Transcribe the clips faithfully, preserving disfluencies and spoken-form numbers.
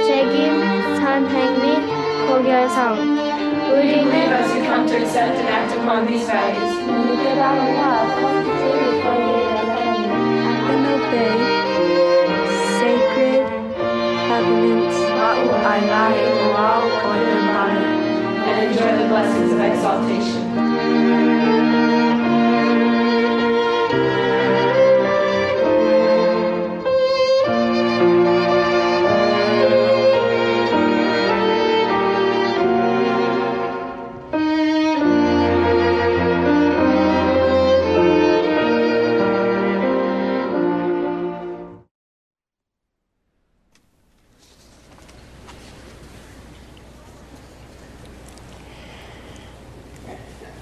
Shagim, San Hangmi, Kogyo Sang. We believe as you come to accept and act upon these values. And obey sacred covenants. And enjoy the blessings of exaltation.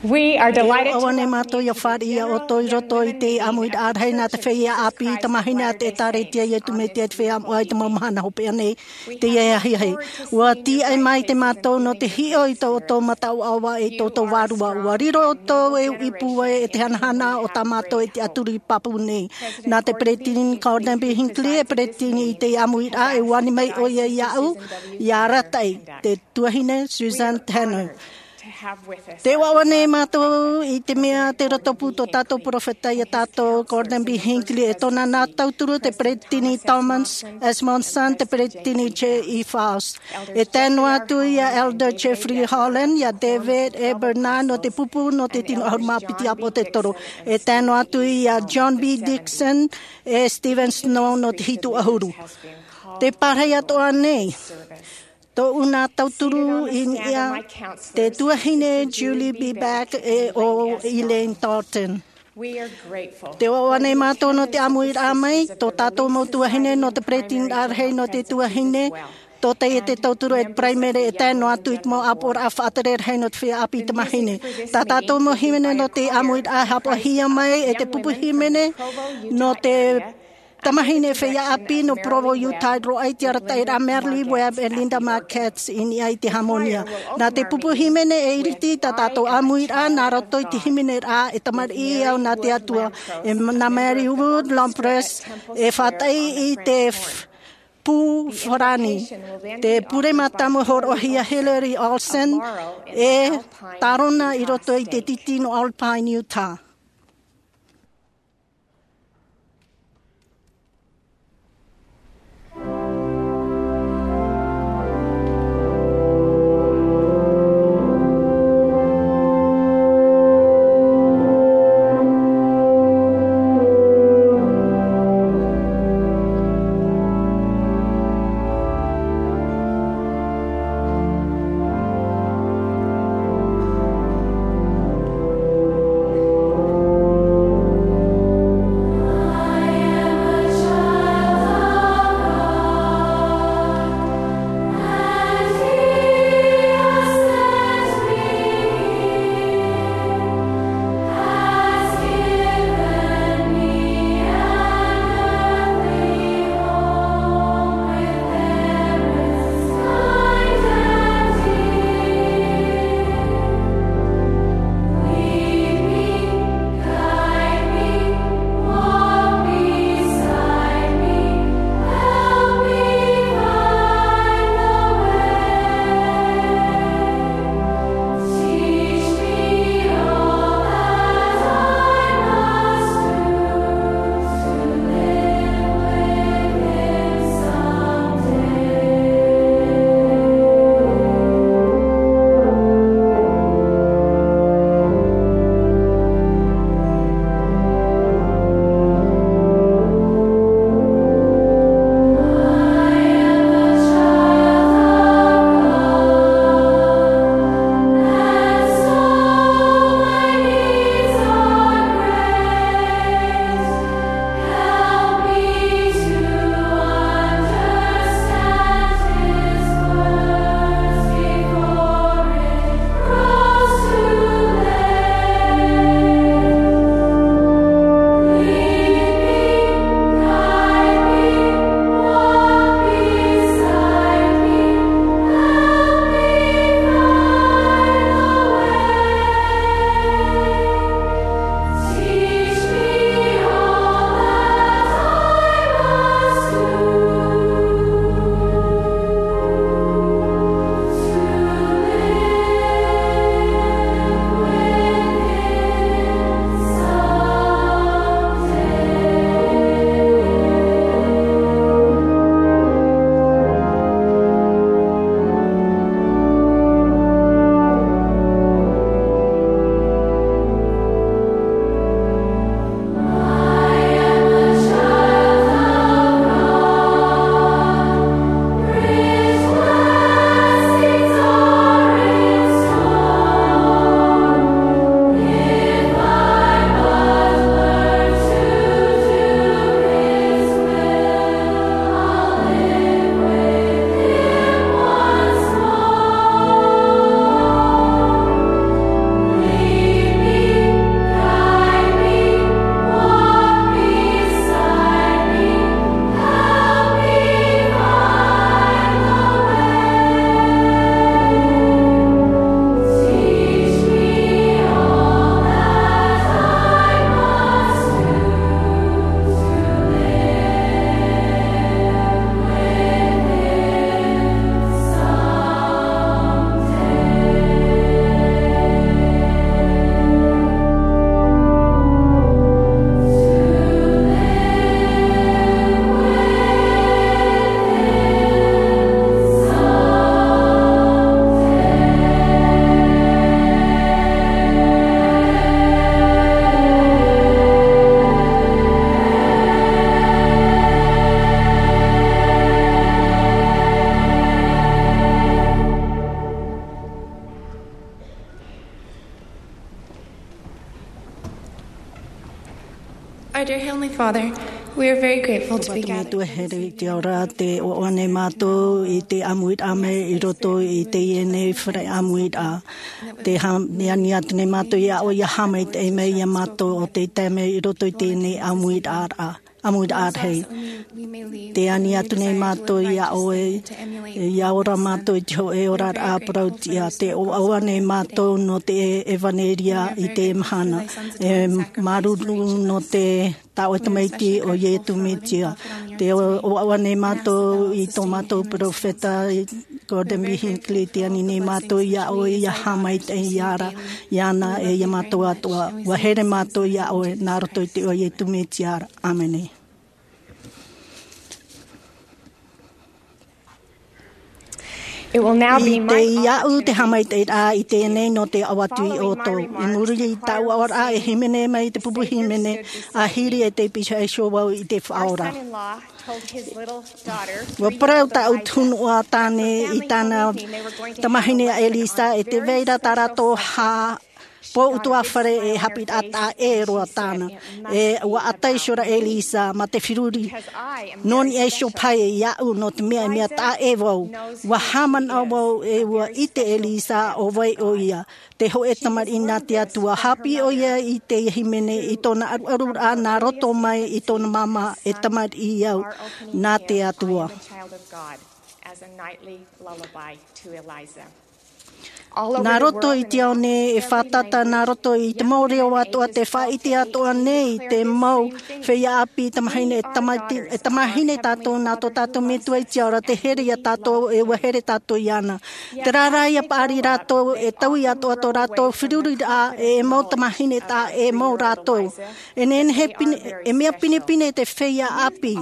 We are delighted to ʻAuane mātou ia fāriʻi ia ʻoutou i roto i te ʻāmuiraʻa rahi nā te feiā ʻāpī tamāhine a te ʻĒtārētia Iesu Mesia i te feiā moʻa i te mau mahana hopeʻa nei, teie ahiahi. ʻUa tīaʻi maitaʻi mātou nō te hiʻo i tō ʻoutou mata ʻoaʻoa e tō ʻoutou vārua. ʻUa riro ʻoutou e uʻi pūai e te hanahana o tā mātou e tiʻaturi pāpū nei. Nā te peresideni Gordon B. Hinckley e peresideni i te ʻāmuiraʻa, e ani mai ʻoia iāʻu, ʻia arataʻi, te tuahine Suzanne Tanner. Tē ʻoaʻoa nei mātou i te mea tē roto pū tō tātou perofeta ia tātou, Gordon B. Hinckley, e tōna nā tauturu te peresideni Thomas S. Monson, te peresideni J. E. Faust. E tae noa atu ia Elder Jeffrey Holland, ia David A. Bednar nō te pupu nō te tino ʻahuru mā piti ʻāpōsetolo. E tae noa atu ia John B. Dixon, e Stephen Snow nō te hitu ʻahuru. Tē pārahi atoʻa nei tōʻu nā tauturu i niʻa, te tuahine Julie B. Beck e ʻo Elaine Dalton. Tē ʻoaʻoa nei mātou nō te ʻāmuiraʻa mai, tō tātou mau tuahine nō te peresideni rahi nō te tuahine, tō teie te tauturu e te paraimere e tae noa atu i te mau ʻāpoʻoraʻa faʻatere rahi nō te feiā ʻāpī tamāhine. Tā tātou mau hīmene nō te ʻāmuiraʻa e haʻapaʻohia mai e te pupu hīmene nō te tamāhine feiā ʻāpī nō Provo, Utah, roaʻa i te arataʻiraʻa Merle Webb e Linda Markatz i niʻa i te hāmōnia. Nā te pupu hīmene e iriti tā tātou ʻāmuiraʻa nā roto i te hīmeneraʻa E Tamariʻi Au Nā Te Atua, e nā Mary Wood Lampress e faʻataʻi i te f-, pū farāni. Te pure mātāmua hōroʻahia Hillary Olsen e tārona i roto i te tītī nō Alpine, Utah. Dear Heavenly Father, we are very grateful to be gathered here. Te ora, tē ʻoaʻoa nei mātou i te ʻāmuiraʻa mai i roto i teie nei fare ʻāmuiraʻa. Tē ha-, tē ani atu nei mātou iā ʻoe ʻia haʻamaitaʻi mai iā mātou ʻo tei tae mai i roto i teie nei ʻāmuiraʻa, ʻāmuiraʻa rahi. Tē ani atu nei mātou iā ʻoe, ʻia ora mātou i te hōʻē oraraʻa parauʻtiʻa. Tē ʻoaʻoa nei mātou nō te ʻevaneria i teie mahana. E māuruuru nō te tā ʻoe Tamaiti ʻo Iesu Mesia. Tē ʻoaʻoa nei mātou i tō mātou peropheta, i Gordon B. Hinckley, tē ani nei mātou iā ʻoe ʻia haʻamaitaʻi iāna, iāna e iā mātou atoʻa. ʻUa here mātou iā ʻoe, nā roto i te iʻoa o Iesu Mesia ra. ʻĀmene. It will now be my honor. Tei iāʻu te haʻamaitaʻiraʻa i teie nei nō te aʻo atu iā ʻoutou. I muri i tāʻu aʻoraʻa e hīmene mai i te pupu hīmene, ʻa hiri e tei pihaʻi iho vau i te Faʻaora. Our son-in-law told his little daughter three years ago. ʻUa parau tāʻu tunuʻa tāne i tāna tamahine a Elisa, e tē vai ra tā rātou hā-, pō utuafare e haʻapiʻiraʻa taʻa ʻē roa tāna. E ʻua ʻata iho ra Elisa mā te feruri. Nō niʻa iho paʻi iāʻu nō te mea, e mea taʻa ʻē vau. ʻUa haʻamanaʻo vau e ʻua ʻite Elisa ʻo vai ʻoia. Te hōʻē tamariʻi nā te Atua. Haʻapiʻi ʻoia i te hīmene i tōna ʻaruʻaruraʻa nā roto mai i tōna māmā, e tamariʻi au nā te Atua. As a nightly lullaby to Eliza. Nā roto i te ao nei e fātata, nā roto i te mau reo atoʻa, tē faʻaʻite atoʻa nei te mau feiā ʻāpī, tamahine, e tamati-, e tamahine tātou nā tō tātou Metua i te ao ra, tē here iā tātou, e ʻua here tātou iāna. Terā rā, ʻia paʻari rātou, e taui atoʻa tō rātou feruriraʻa, e mau tamahine taʻa ʻē mau rātou. E nehenehe pine, e mea pinepine te feiā ʻāpī,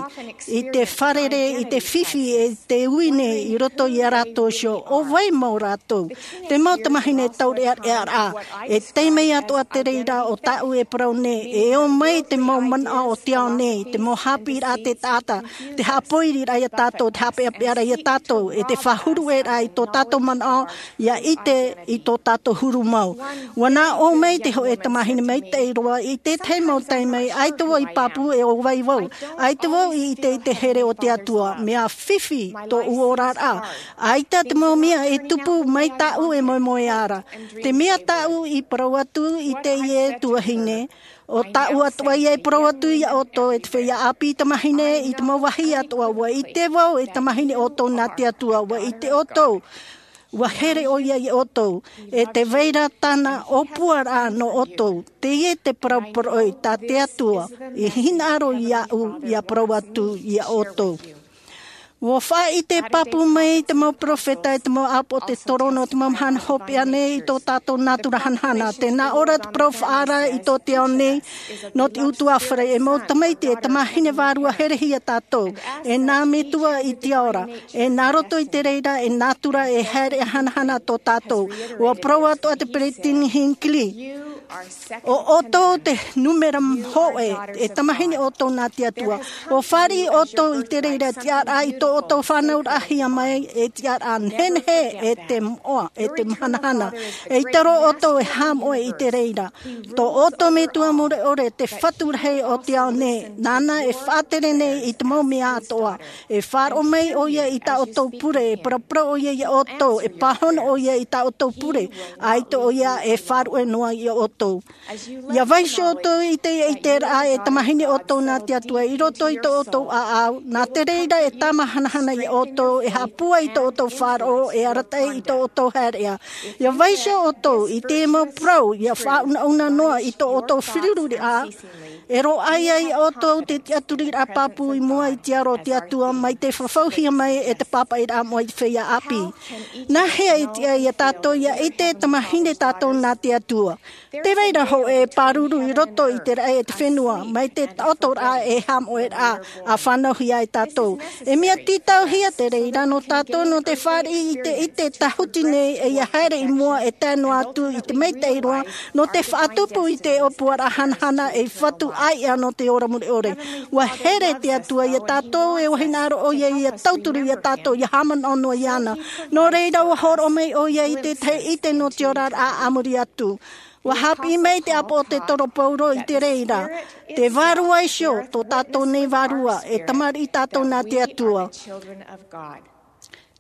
i te fārerei, i te fifi, e te ui nei i roto iā rātou iho, ʻo vai mau rātou. Te mau tamahine taureʻareʻa ra, e tae mai atoʻa te reira o tāʻu e parau nei, e ō mai te mau manaʻo o te ao nei, te mau haʻapiʻiraʻa a te taʻata, te haʻapoiriraʻa iā tātou, te haʻapeʻapeʻaraʻa iā tātou, e te faʻahuruʻaraʻa i tō tātou manaʻo, ʻia ʻite i tō tātou huru mau. ʻUa nā ʻō mai te hōʻē tamahine maitaʻi roa i te tahi mau taime, ʻaita vau i pāpū e ʻo vai vau. ʻAita vau i ʻite i te here o te Atua, mea fifi tōʻu oraraʻa. ʻAita te mau mea e tupu mai tāʻu e moemoeā ra. Te mea tāʻu i parau atu i teie tuahine, ʻo tāʻu atoʻa ia e parau atu iā ʻoutou, e te feiā ʻāpī tamahine, i te mau vāhi atoʻa, ʻua ʻite vau e tamahine ʻoutou nā te Atua, ʻua ʻite ʻoutou. ʻUa here ʻoia iā ʻoutou, e tē vai ra tāna ʻōpuaraʻa nō ʻoutou. Teie te parau poroʻi tā te Atua, i hinaʻaro iāʻu, ʻia parau atu iā ʻoutou. ʻUa faʻaʻite pāpū mai te mau peropheta, e te mau ʻāpoʻo, te torono, te mau mahana hopeʻa nei i tō tātou nātura hanahana. Tē nā ʻō ra te parau faʻaara i tō te ao nei, nō te ʻutuāfare, e mau tamaiti, e tamahine vārua herehia tātou, e nā Metua i te ao ra, e nā roto i te reira, e nātura, e haere hanahana tō tātou. ʻUa parau atoʻa te peresideni Hinckley, ʻo ʻoutou te nūmera hōʻē, e tamahine ʻoutou nā te Atua. ʻUa fāriʻi ʻoutou i te reira, tiʻaraʻa i tō ʻoutou fānauraʻahia mai, e tiʻaraʻa nehenehe, e te moʻa, e te hanahana. E ʻite roa ʻoutou e haʻamoʻe i te reira. Tō ʻoutou Metua mure ʻore, te Fatu rahi o te ao nei, nāna e faʻatere nei i te mau mea atoʻa. E faʻaroʻo mai ʻoia i tā ʻoutou pure, e paraparau ʻoia iā ʻoutou, e pāhono ʻoia i tā ʻoutou pure, ʻaita ʻoia e faʻaruʻe noa iā ʻoutou. ʻIa vaiiho ʻoutou i te, i te ʻiteraʻa e tamahine ʻoutou nā te Atua i roto i tō ʻoutou ʻāʻau, nā te reira e tāmā hanahana iā ʻoutou, e haʻapūai i tō ʻoutou faʻaroʻo, e arataʻi i tō ʻoutou haereʻa. ʻIa vaiiho ʻoutou i te mau parau, ʻia faʻaunauna noa i tō ʻoutou feruriraʻa, e roaʻa ai ʻoutou te tiʻaturiraʻa pāpū i mua i te aro o te Atua, mai te fafauhia mai e te pāpaʻiraʻa moʻa i te feiā ʻāpī. Nā hea e tiʻa iā tātou ʻia ʻite e tamahine tātou nā te Atua? Tē vai ra hōʻē pāruru i roto i te raʻi e te fenua, mai te taʻotoraʻa e haʻamoʻeraʻa, ʻa fānauhia ai tātou. E mea tītauhia te reira nō tātou nō te fāriʻi i te, i te tāhuti nei, e ʻia haere i mua e tae noa atu i te maitaʻi roa, nō te faʻatupu i te ʻōpuaraʻa hanahana ei Fatu ʻāiʻa nō te ora mure ʻore. ʻUa here te Atua iā tātou, e ʻua hinaʻaro ʻoia ʻia tauturu iā tātou, ʻia haʻamanaʻo noa iāna. Nō reira, ʻua hōroʻa mai ʻoia i te tahi ʻite nō te oraraʻa a muri atu. Ua hāpiʻi mai te ʻāpoʻo o te toro paulo i te reira. Te vārua iho tō tātou nei vārua e tamariʻi tātou nā te atua.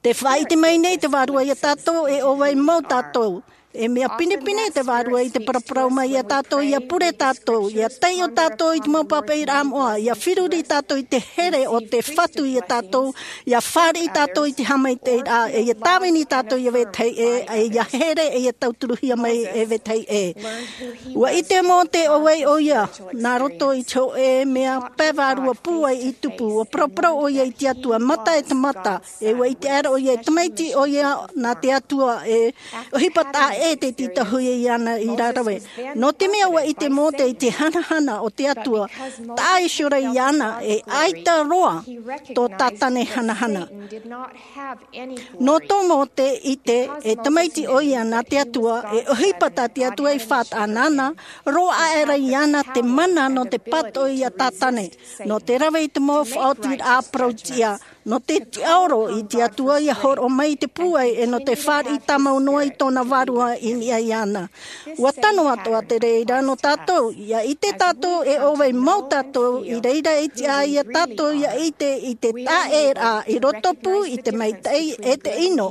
Te faʻaʻite mai nei te vārua iā tātou e ʻo vai mau tātou. E mea pinepine te vārua i te paraparau mai iā tātou ia pure tātou ia taiʻo tātou i te mau papaʻiraʻa moʻa ia firuri tātou i te here o te fatu iā tātou ia fāriʻi tātou i te haʻamaitaʻiraʻa e ia tāvini tātou ia vetahi ʻē e ia here e ia tauturuhia mai e vetahi ʻē. Ua ʻite mōte ʻo vai ʻo ia nā roto i te hoʻē mea pae vārua pūai i tupu ua paraparau ʻo ia i te atua mata e te mata. E ua ʻite aʻera ʻo ia e tamaiti ʻo ia nā te atua e ʻohipa taʻa ʻē te tītauhia iāna i rarave. Nō te mea ua ʻite mōte i te hanahana o te atua taʻa iho ra iāna e ʻaita roa tō tātane hanahana. Nō tō mōte ʻite e tamaiti ʻo ia nā te atua e ʻohipa tā te atua i faʻataʻa nāna roa aʻera iāna te mana nō te pātoʻi iā tātane. Nō te rave i te mau faʻaotiraʻa parau tiʻa nō te tiʻaoro i te atua ia horoʻa mai i te pūai e nō te fāriʻi tāmau noa i tōna vārua i niʻa iāna. Ua tano atoʻa te reira nō tātou ia ʻite tātou e ʻo vai mau tātou i reira e tiʻa iā tātou ia ʻite i te taʻeraʻa i roto pū i te maitaʻi e te ʻino.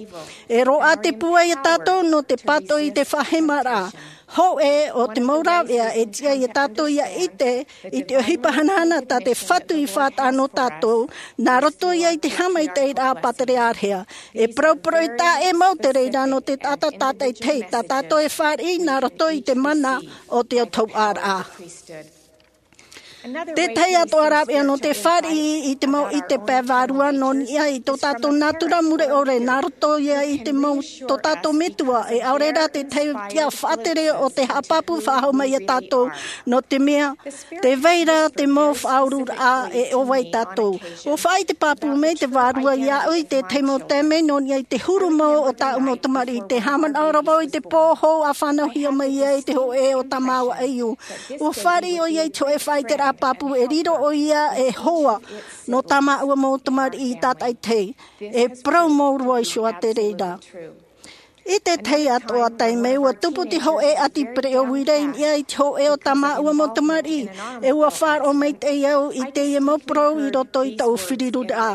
E roaʻa te pūai iā tātou nō te pātoʻi i te faʻahemaraʻa hōʻē o te mau rāveʻa e tiʻa iā tātou ia ʻite i te ʻohipa hanahana tā te fatu i faʻataʻa nō tātou nā roto ia i te haʻamaitaʻiraʻa pāterearehea. E parauparau e taʻa ʻē mau te reira nō te taʻata tātaʻitahi tā tātou e fāriʻi nā roto i te mana o te autahuʻaraʻa. Tētahi atoʻa rāveʻa nō te fāriʻi i te mau ʻite pae vārua nō niʻa i tō tātou nātura mure ʻore nā roto ia i te mau tō tātou metua e ʻaore rā tētahi tiʻa faʻatere o te haʻapāpū faʻahou mai iā tātou. Nō te mea te vai ra te mau faʻaururaʻa e ʻo vai tātou. Ua faʻaʻite pāpū mai te vārua iāʻu i tētahi mau taime nō niʻa i te huru mau o tāʻu mau tamariʻi te haʻamanaʻo ra vau i te pō hou a fānauhia mai ia i te hoʻē o tā māua ʻaiū. Ua fāriʻi ʻo ia i te hoʻē faʻaʻiteraʻa pāpū e riro ʻo ia e hoa nō tā māua mau tamariʻi tātaʻitahi. E parau mau roa iho ā te reira. I tētahi atoʻa taime ua tupu te hoʻē ʻati pereʻo uira i niʻa i te hoʻē o tā māua mau tamariʻi. E ua faʻaroʻo maitaʻi au i teie mau parau i roto i taʻu firiruraʻa.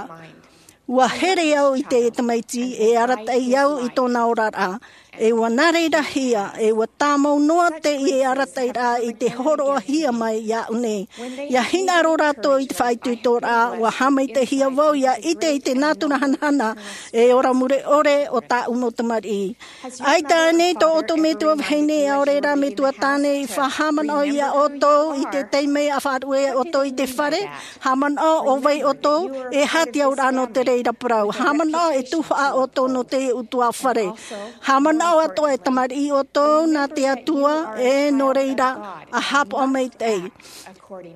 Ua here au i teie tamaiti e arataʻi au i tōna oraraʻa. E ua nā reira hia e ua tāmau noa teie arataʻiraʻa i te hōroʻahia mai iāʻu nei. Ia hinaʻaro rātou i te faʻaitoitoraʻa ua haʻamaitaʻihia vau ia ʻite i te nātura hanahana e ora mure ʻore o tāʻu mau tamariʻi. ʻAita ānei tō ʻoutou metua vahine ʻaore rā metua tāne i faʻahaʻamanaʻo iā ʻoutou i te taime a faʻaruʻe ʻoutou i te fare? Haʻamanaʻo ʻo vai ʻoutou? E aha te auraʻa nō te reira parau? Haʻamanaʻo e tuhaʻa ʻoutou nō te ʻutuāfare? Haʻamanaʻo atoʻa e tamariʻi ʻoutou nā te atua e nō reira a haʻapaʻo maitaʻi.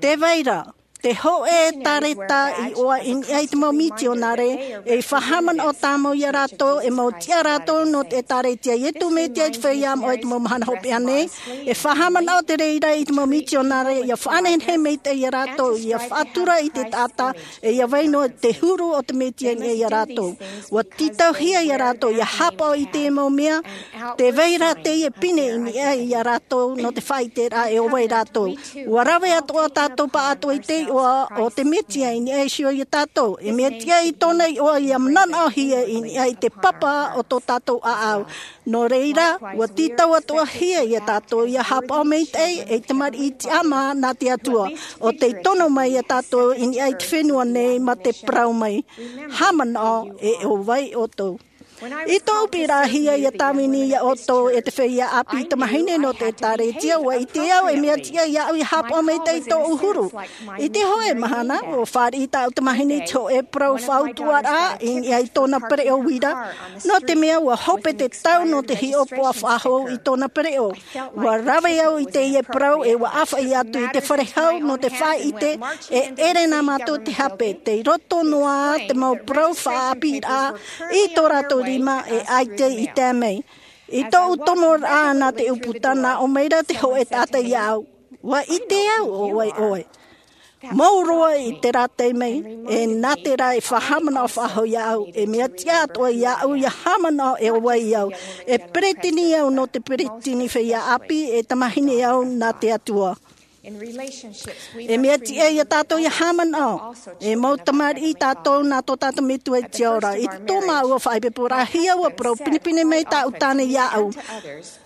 Te vai ra te hoʻē ʻētārēta i ʻoaʻi i niʻa i te mau mitionare e faʻahaʻamanaʻo tāmau iā rātou e mau tiʻa rātou nō te ʻētārētia a iesu mesia i te feiā moʻa i te mau mahana hopeʻa nei. E faʻahaʻamanaʻo te reira i te mau mitionare ia faʻanehenehe maitaʻi iā rātou ia faʻatura i te taʻata e ia vai noa te huru o te mesia i niʻa iā rātou. Ua tītauhia iā rātou ia haʻapaʻo i te mau mea te vai ra teie pine i niʻa iā rātou nō te faʻaʻiteraʻa e ʻo vai rātou. Ua rave atoʻa tātou pāʻatoʻa i te iʻoa o te mesia i niʻa iho iā tātou e mea tiʻa i tōna iʻoa ia mananaʻohia i niʻa i te papa o tō tātou ʻāʻau. Nō reira ua tītau atoʻahia iā tātou ia haʻapaʻo maitaʻi ei tamariʻi tiʻamā nā te atua ʻo tei tono mai iā tātou i niʻa i te fenua nei mā te parau mai, haʻamanaʻo e ʻo vai ʻoutou. I tōʻu piʻirahia ia tāvini iā ʻoutou e te feiā ʻāpī tamāhine nō te ʻētārētia ua ʻite au e mea tiʻa iāʻu ia haʻapaʻo maitaʻi tōʻu huru. I te hoʻē mahana ua fāriʻi tāʻu tamāhine i te hoʻē parau faʻautuʻaraʻa i niʻa i tōna pereʻo uira. Nō te mea ua hope te tau nō te hiʻopoʻa faʻahou i tōna pereʻo. Ua rave au i teie parau e ua ʻāfaʻi atu i te fare hau nō te faʻaʻite e ʻere nā mātou te hape tei roto noa te mau parau faʻaʻāpīraʻa i tō rātou rima e ʻaita i tae mai. I tōʻu tomoraʻa nā te ʻūputa nā ʻō mai ra te hoʻē taʻata iāʻu, ua ʻite au ʻo vai ʻoe. Mau roa i te rātei mai, e nā te rā e faʻahaʻamanaʻo faʻahou iāʻu, e mea tiʻa atoʻa iāʻu ia haʻamanaʻo e ʻo vai au, e peretiteni au nō te peretiteni feiā ʻāpī, e tamāhine au nā te Atua. E mea tiʻa ia tātou ia haʻamanaʻo, e mau tamariʻi tātou nā tō tātou Metua i te ao ra. I tō māua faʻaipoiporaʻa, hia ʻua parau pinepine mai tāʻu tāne iāʻu.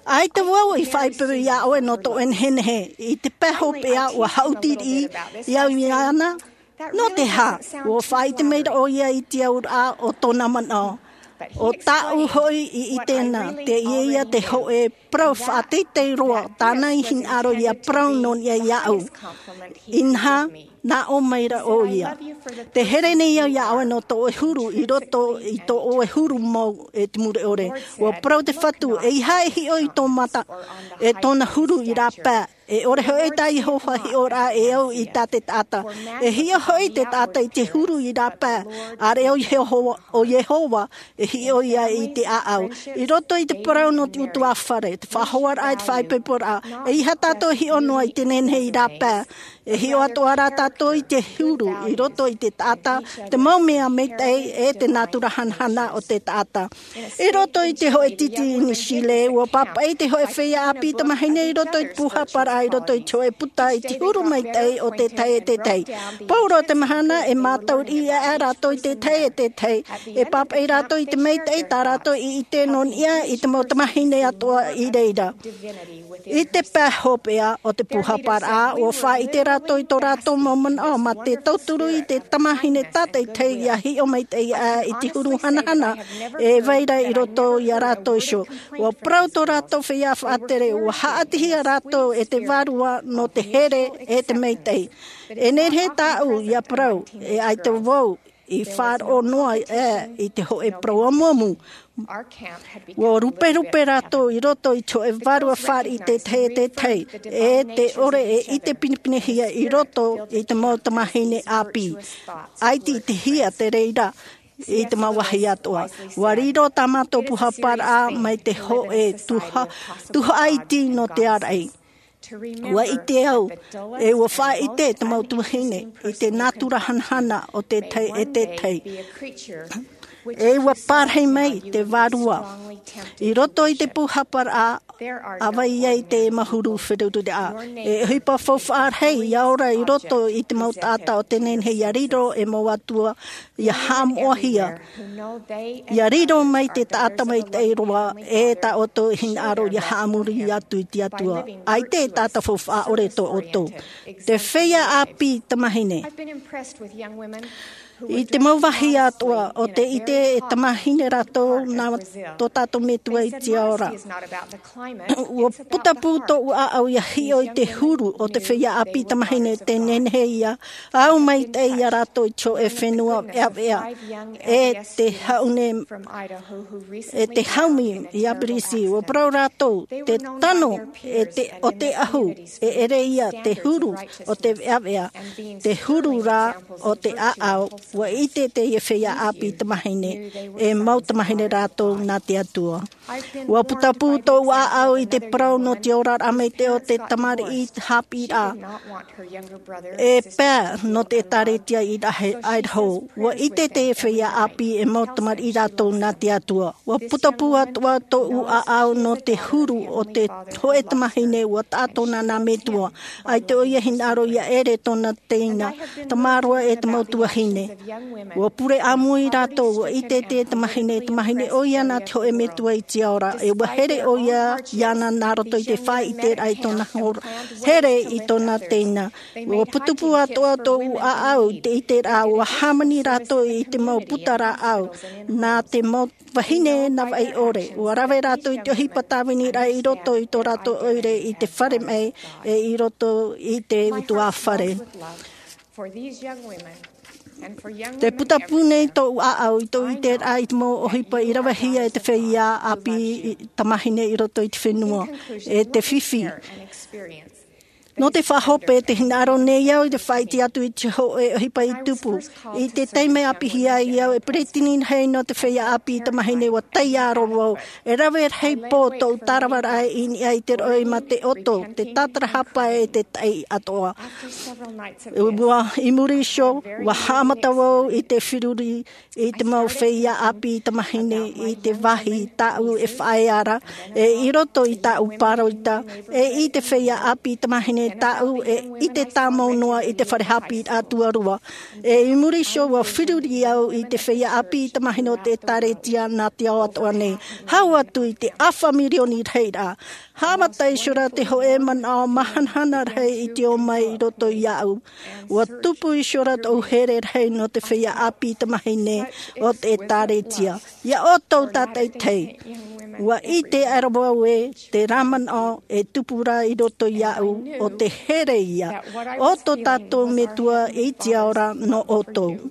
ʻAita vau i faʻaipoipo iā ʻoe nō tō ʻoe nehenehe, i te pae hopeʻa ʻua haʻuti riʻi au iāna. Nō te aha? ʻUa faʻaʻite mai ra ʻoia i te auraʻa o tōna manaʻo. ʻO tāʻu hoʻi i ʻite na, teie ia te hōʻē parau faʻateitei roa tāna i hinaʻaro ia parau nō niʻa iāʻu. Inaha, nā ʻō mai ra ʻoia. Te here nei au iā ʻoe nō tō ʻoe huru i roto i tō ʻoe huru mau, e te mure ʻore. ʻUa parau te Fatu, ʻeiaha e hiʻo i tō mata, e tōna huru i rāpae. E ʻore hoʻi tā Iehova hiʻoraʻa e au i tā te taʻata. E hiʻo hoʻi te taʻata i te huru i rāpae, ʻāreʻa ʻo Iehova, ʻo Iehova, e hiʻo ia i te ʻāʻau. I roto i te parau nō te ʻutuāfare, te faʻahoaraʻa, e te faʻaipoiporaʻa, ʻeiaha tātou e hiʻo noa i te nehenehe i rāpae. E hiʻo atoʻa rā tātou i te huru, i roto i te taʻata, te mau mea maitaʻi, e te nātura hanahana o te taʻata. I roto i te hōʻē tītī i New Zealand, ʻua pāpaʻi te hōʻē feiā ʻāpī tamāhine i roto i te pūhaparaʻa, i roto i te hōʻē puta i te huru maitaʻi o te tahi e te tahi. Pauroa te mahana, e mātau riʻi aʻe rātou i te tahi e te tahi. E pāpaʻi rātou i te maitaʻi tā rātou i ʻite nō niʻa i te mau tamāhine atoʻa i reira. I te pae hopeʻa o te pūhaparaʻa, ʻua faʻaʻite rātou i tō rātou mau manaʻo, mā te tauturu i te tamāhine tātaʻitahi ia hiʻo maitaʻi aʻe i te huru hanahana, e vai ra i roto iā rātou iho. ʻUa parau tō rātou feiā faʻatere, ʻua haʻatihia rātou e te Vārua nō te here e te maitaʻi. E nehenehe tāʻu ia parau, e ʻaita vau i faʻaroʻo noa aʻe i te hōʻē parau amuamu. ʻUa ruperupe rātou i roto i te hōʻē vārua fāriʻi te tahi e te tahi, e te ʻore e ʻite pinepinehia i roto i te mau tamāhine ʻāpī. ʻAita i te hia te reira i te mau vāhi atoʻa. ʻUa riro tā mātou pūhaparaʻa mai te hōʻē tuha-, tuhaʻa iti nō te āraʻi. ʻUa ʻite au, e ʻua faʻaʻite te mau tuahine i te nātura hanahana o te tahi e te tahi. E ʻua parahi mai te Vārua. I roto i te pūhaparaʻa, ʻa vai ai te mau huru feruriraʻa. E ʻohipa faufaʻa rahi ia ora i roto i te mau taʻata o te nehenehe ia riro e mau atua ia haʻamoʻahia. Ia riro mai te taʻata maitaʻi roa, e tā ʻoutou hinaʻaro ia haʻamori atu i te Atua. ʻAita e taʻata faufaʻa ʻore tō ʻoutou. Te feiā ʻāpī tamāhine. I te mau vāhi atoʻa, ʻo tē ʻite e tamāhine rātou nā tō tātou Metua i te ao ra. ʻUa putapū tōʻu ʻāʻau ia hiʻo i te huru o te feiā ʻāpī tamāhine, te nehenehe ia au maitaʻi ia rātou i te hōʻē fenua veʻaveʻa. E te haʻune, e te haumi i Aperisi, ʻua parau rātou, te tano, e te, o te ahu, e ʻere ia te huru o te veʻaveʻa, te huru rā o te ʻāʻau. ʻUa ʻite teie feiā ʻāpī tamāhine, e mau tamāhine rātou nā te Atua. ʻUa putapū tōʻu ʻāʻau i te parau nō te oraraʻa maitaʻi o te tamariʻi haʻapiʻiraʻa. E pae nō te ʻĒtārētia i Idaho. ʻUa ʻite te feiā ʻāpī e mau tamariʻi rātou nā te Atua. ʻUa putapū atoʻa tōʻu ʻāʻau nō te huru o te hōʻē tamāhine ʻua taʻa tōna nā Metua. ʻAita ʻoia hinaʻaro ia ʻere tōna teina, tamaroa e te mau tuahine. ʻUa pure ʻāmui rātou, ʻua ʻite te tamāhine, tamāhine ʻoia nā te hōʻē Metua i te ao ra, e ʻua here ʻoia iāna nā roto i te faʻaʻiteraʻa i tōna hora, here i tōna teina. ʻUa putapū atoʻa tōʻu ʻāʻau i te ʻiteraʻa, ʻua hāmani rātou i te mau puta rāʻau, nā te mau vahine navaʻi ʻore. ʻUa rave rātou i te ʻohipa tāviniraʻa i roto i tō rātou ʻoire i te fare maʻi, e i roto i te ʻutuāfare. Te putapū nei tōʻu ʻāʻau i tōʻu ʻiteraʻa i te mau ʻohipa i ravehia e te feiā ʻāpī tamāhine i roto i te fenua, e te fifi. Nō te faʻahope, tē hinaʻaro nei au i te faʻaʻite atu i te hōʻē ʻohipa i tupu. I te taime ʻāpī ai au e peretiteni rahi nō te feiā ʻāpī i Tamahine, ʻua taiā roa vau. E rave rahi pō tōʻu tāravaraʻa i niʻa i te roʻi mā te ʻoto, te tātarahapa e te taʻi atoʻa. ʻUa, i muri iho, ʻua haʻamata vau i te feruri i te mau feiā ʻāpī Tamahine i te vāhi tāʻu e faʻaea ra, e i roto i tāʻu pāroita, e i te feiā ʻāpī Tamahine tāʻu e ʻite tāmau noa i te fare haʻapiʻiraʻa tuarua. E i muri iho, ʻua feruri au i te feiā ʻāpī Tamahine o te ʻĒtārētia nā te ao atoʻa nei. Hau atu i te ʻāfa mirioni rahiraʻa. Haʻamata iho ra te hōʻē manaʻo māhanahana rahi i te ō mai i roto iāʻu. ʻUa tupu iho ra tōʻu here rahi nō te feiā ʻāpī Tamahine o te ʻĒtārētia. Ia ʻoutou tātaʻitahi. ʻUa ʻite aʻera vau ē, terā manaʻo e tupu ra i roto iāʻu, ʻo te here ia o tō tātou Metua i te ao ra nō ʻoutou.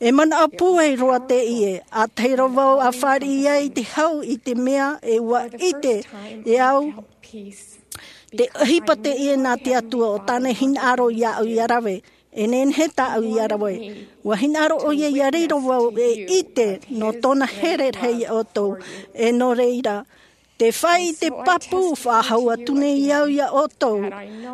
E manaʻo pūai roa teie, ʻa tahi roa vau ʻa fāriʻi ai i te hau i te mea e ʻua ʻite e au, te ʻohipa teie nā te Atua ʻo tāna e hinaʻaro iāʻu ʻia rave, e nehenehe tāʻu ʻia rave. ʻUa hinaʻaro ʻoia ʻia riro vau e ʻite nō tōna here rahi iā ʻoutou, e nō reira, te faʻaʻite pāpū faʻahou atu nei au iā ʻoutou.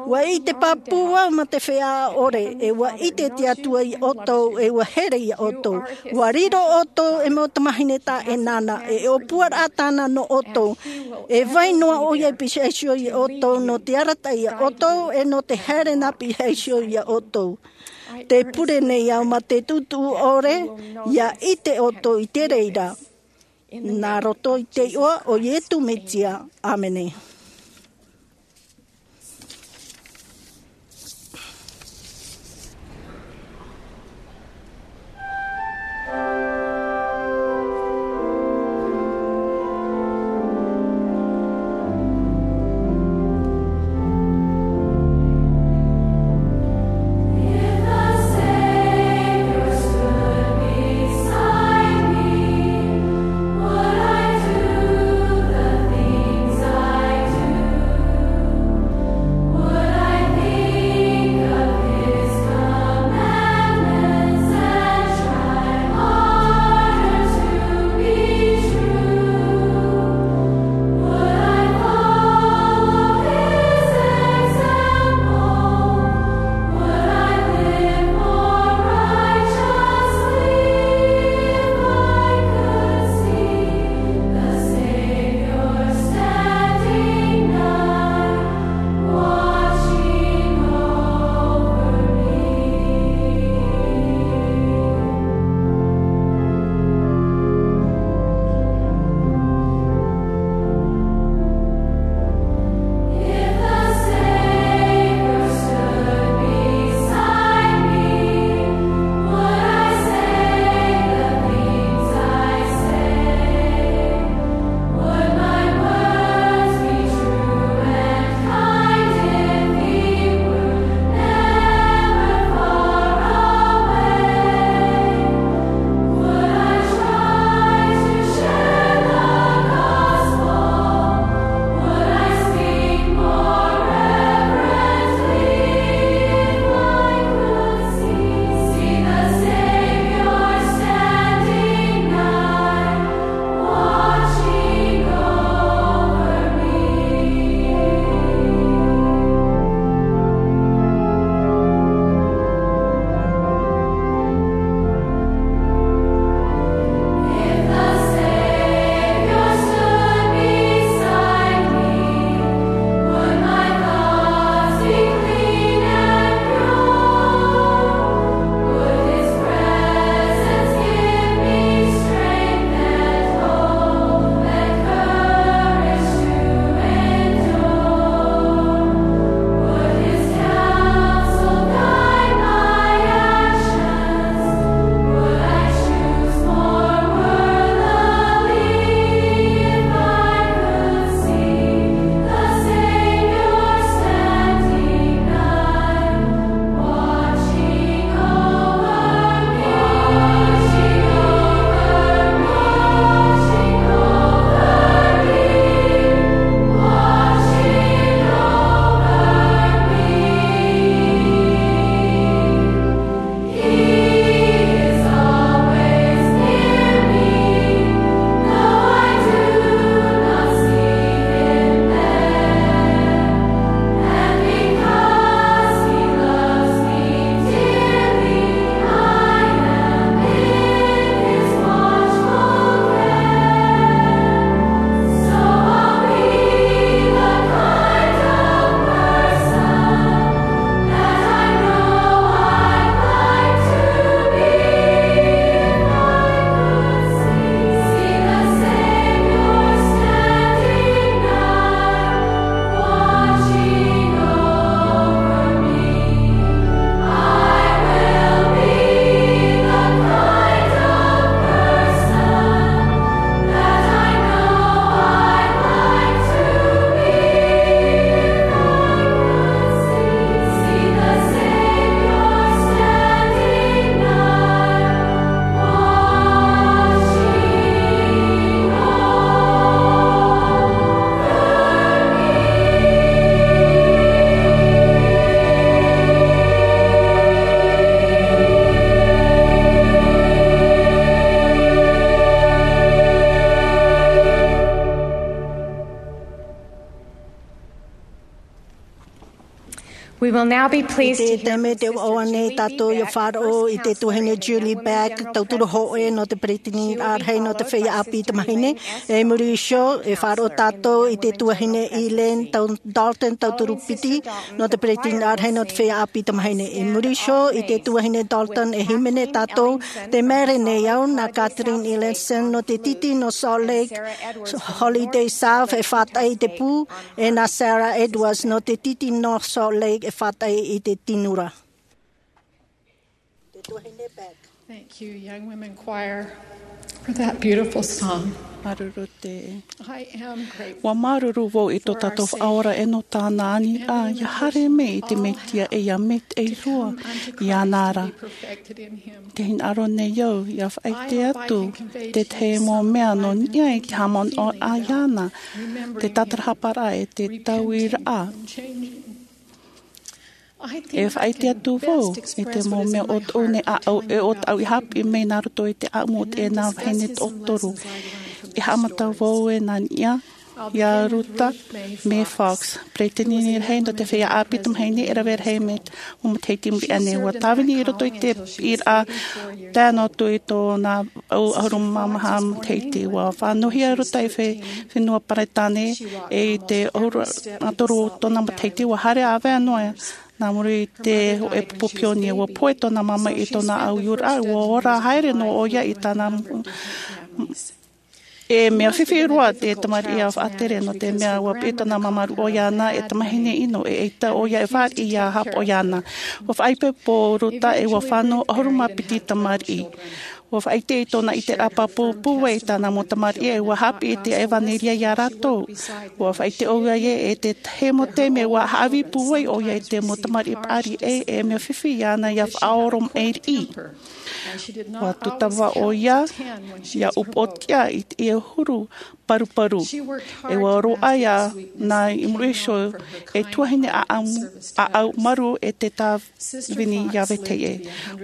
ʻUa ʻite pāpū au mā te feiā ʻore, e ʻua ʻite te Atua iā ʻoutou, e ʻua here iā ʻoutou. ʻUa riro ʻoutou e mau tamahine tā ʻEnana, e ʻōpuaraʻa tāna nō ʻoutou. E vai noa ʻoia i pihaʻi iho iā ʻoutou, nō te arataʻi iā ʻoutou, e nō te haere nā pihaʻi iho iā ʻoutou. Tē pure nei au mā te tutuʻu ʻore, ʻia ʻite ʻoutou i te reira. Nā roto i te iʻoa o Ietu Metia. ʻĀmene. We will now be pleased to hear from Sister Julie Beck. Te taime te vaʻo nei tātou ia faʻaroʻo i te tuahine Julie Beck, tauturu hōʻē nō te peretiteni rahi nō te feiā ʻāpī tamāhine. I muri iho, e faʻaroʻo tātou i te tuahine Elaine Dalton, tauturu piti nō te peretiteni rahi nō te feiā ʻāpī tamāhine. I muri iho, i te tuahine Dalton, e hīmene tātou, tē maere nei au, nā Katherine Ellison nō te tītī nō Salt Lake, Holiday South, e faʻataʻa i te pū, e nā Sarah Edwards nō te tītī nō Salt Lake, e faʻataʻa i te tinura. Thank you, Young Women Choir, for that beautiful song. Māuruuru te. I am grateful. Ua māuruuru vau i tō tātou Faʻaora e nō tāna aniraʻa, ia haere mai i te Mesia e ia maitaʻi roa iāna ra. Te hinaʻaro nei au ia faʻaʻite atu te tahi mau mea nō niʻa i te haʻamanaʻo iāna, te tātarahaparaʻa e te tauiraʻa. E faʻaʻite atu vau i te mau mea ʻo tōʻu nei ʻāʻau, e ʻo tāʻu i haʻapiʻi mai nā roto i te ʻāʻamu o teie nā vahine toʻotoru. I haʻamata vau e nā niʻa iā Ruta Mae Fox, peretiteni rahi nō te feiā ʻāpī tamāhine, e rave rahi mai te mau matahiti i muri aʻe nei. Ua tāvini i roto i te piʻiraʻa tae noa atu i tōna ʻau ʻahuru mā maha matahiti. Ua fānauhia Ruta i te fenua Peretāne, e i te ʻahuru mā toru tōna matahiti, ua haere ʻāvae noa nā muri i te hōʻē pupu pionia. Ua pohe tōna māmā i tōna ʻau iʻoraʻa, ua ora haere noa ʻoia i tāna. E mea fifi roa te tamariʻi a faʻatere, nō te mea ua piʻi tōna māmā rūʻau iāna e tamāhine ʻino, e ʻaita ʻoia e fāriʻi ia haʻapaʻo iāna. Ua faʻaipoipo Ruta, e ua fānau ʻahuru mā piti tamariʻi. Ua faʻaʻite i tōna ʻiteraʻa pāpū pūai i tāna mau tamariʻi, e ua haʻapiʻi i te ʻevanelia iā rātou. Ua faʻaʻite ʻoia e te tahi mau taime ua haʻavī pūai ʻoia i te mau tamariʻi paʻari, e, e mea fifi iāna ia faʻaoromaʻi riʻi. Ua tūtava ʻoia ia upoʻotiʻa i te huru paruparu. E ua roaʻa iāna i muri iho e tuahine ʻāʻau, ʻāʻau marū e te tāvini ia vetahi ʻē.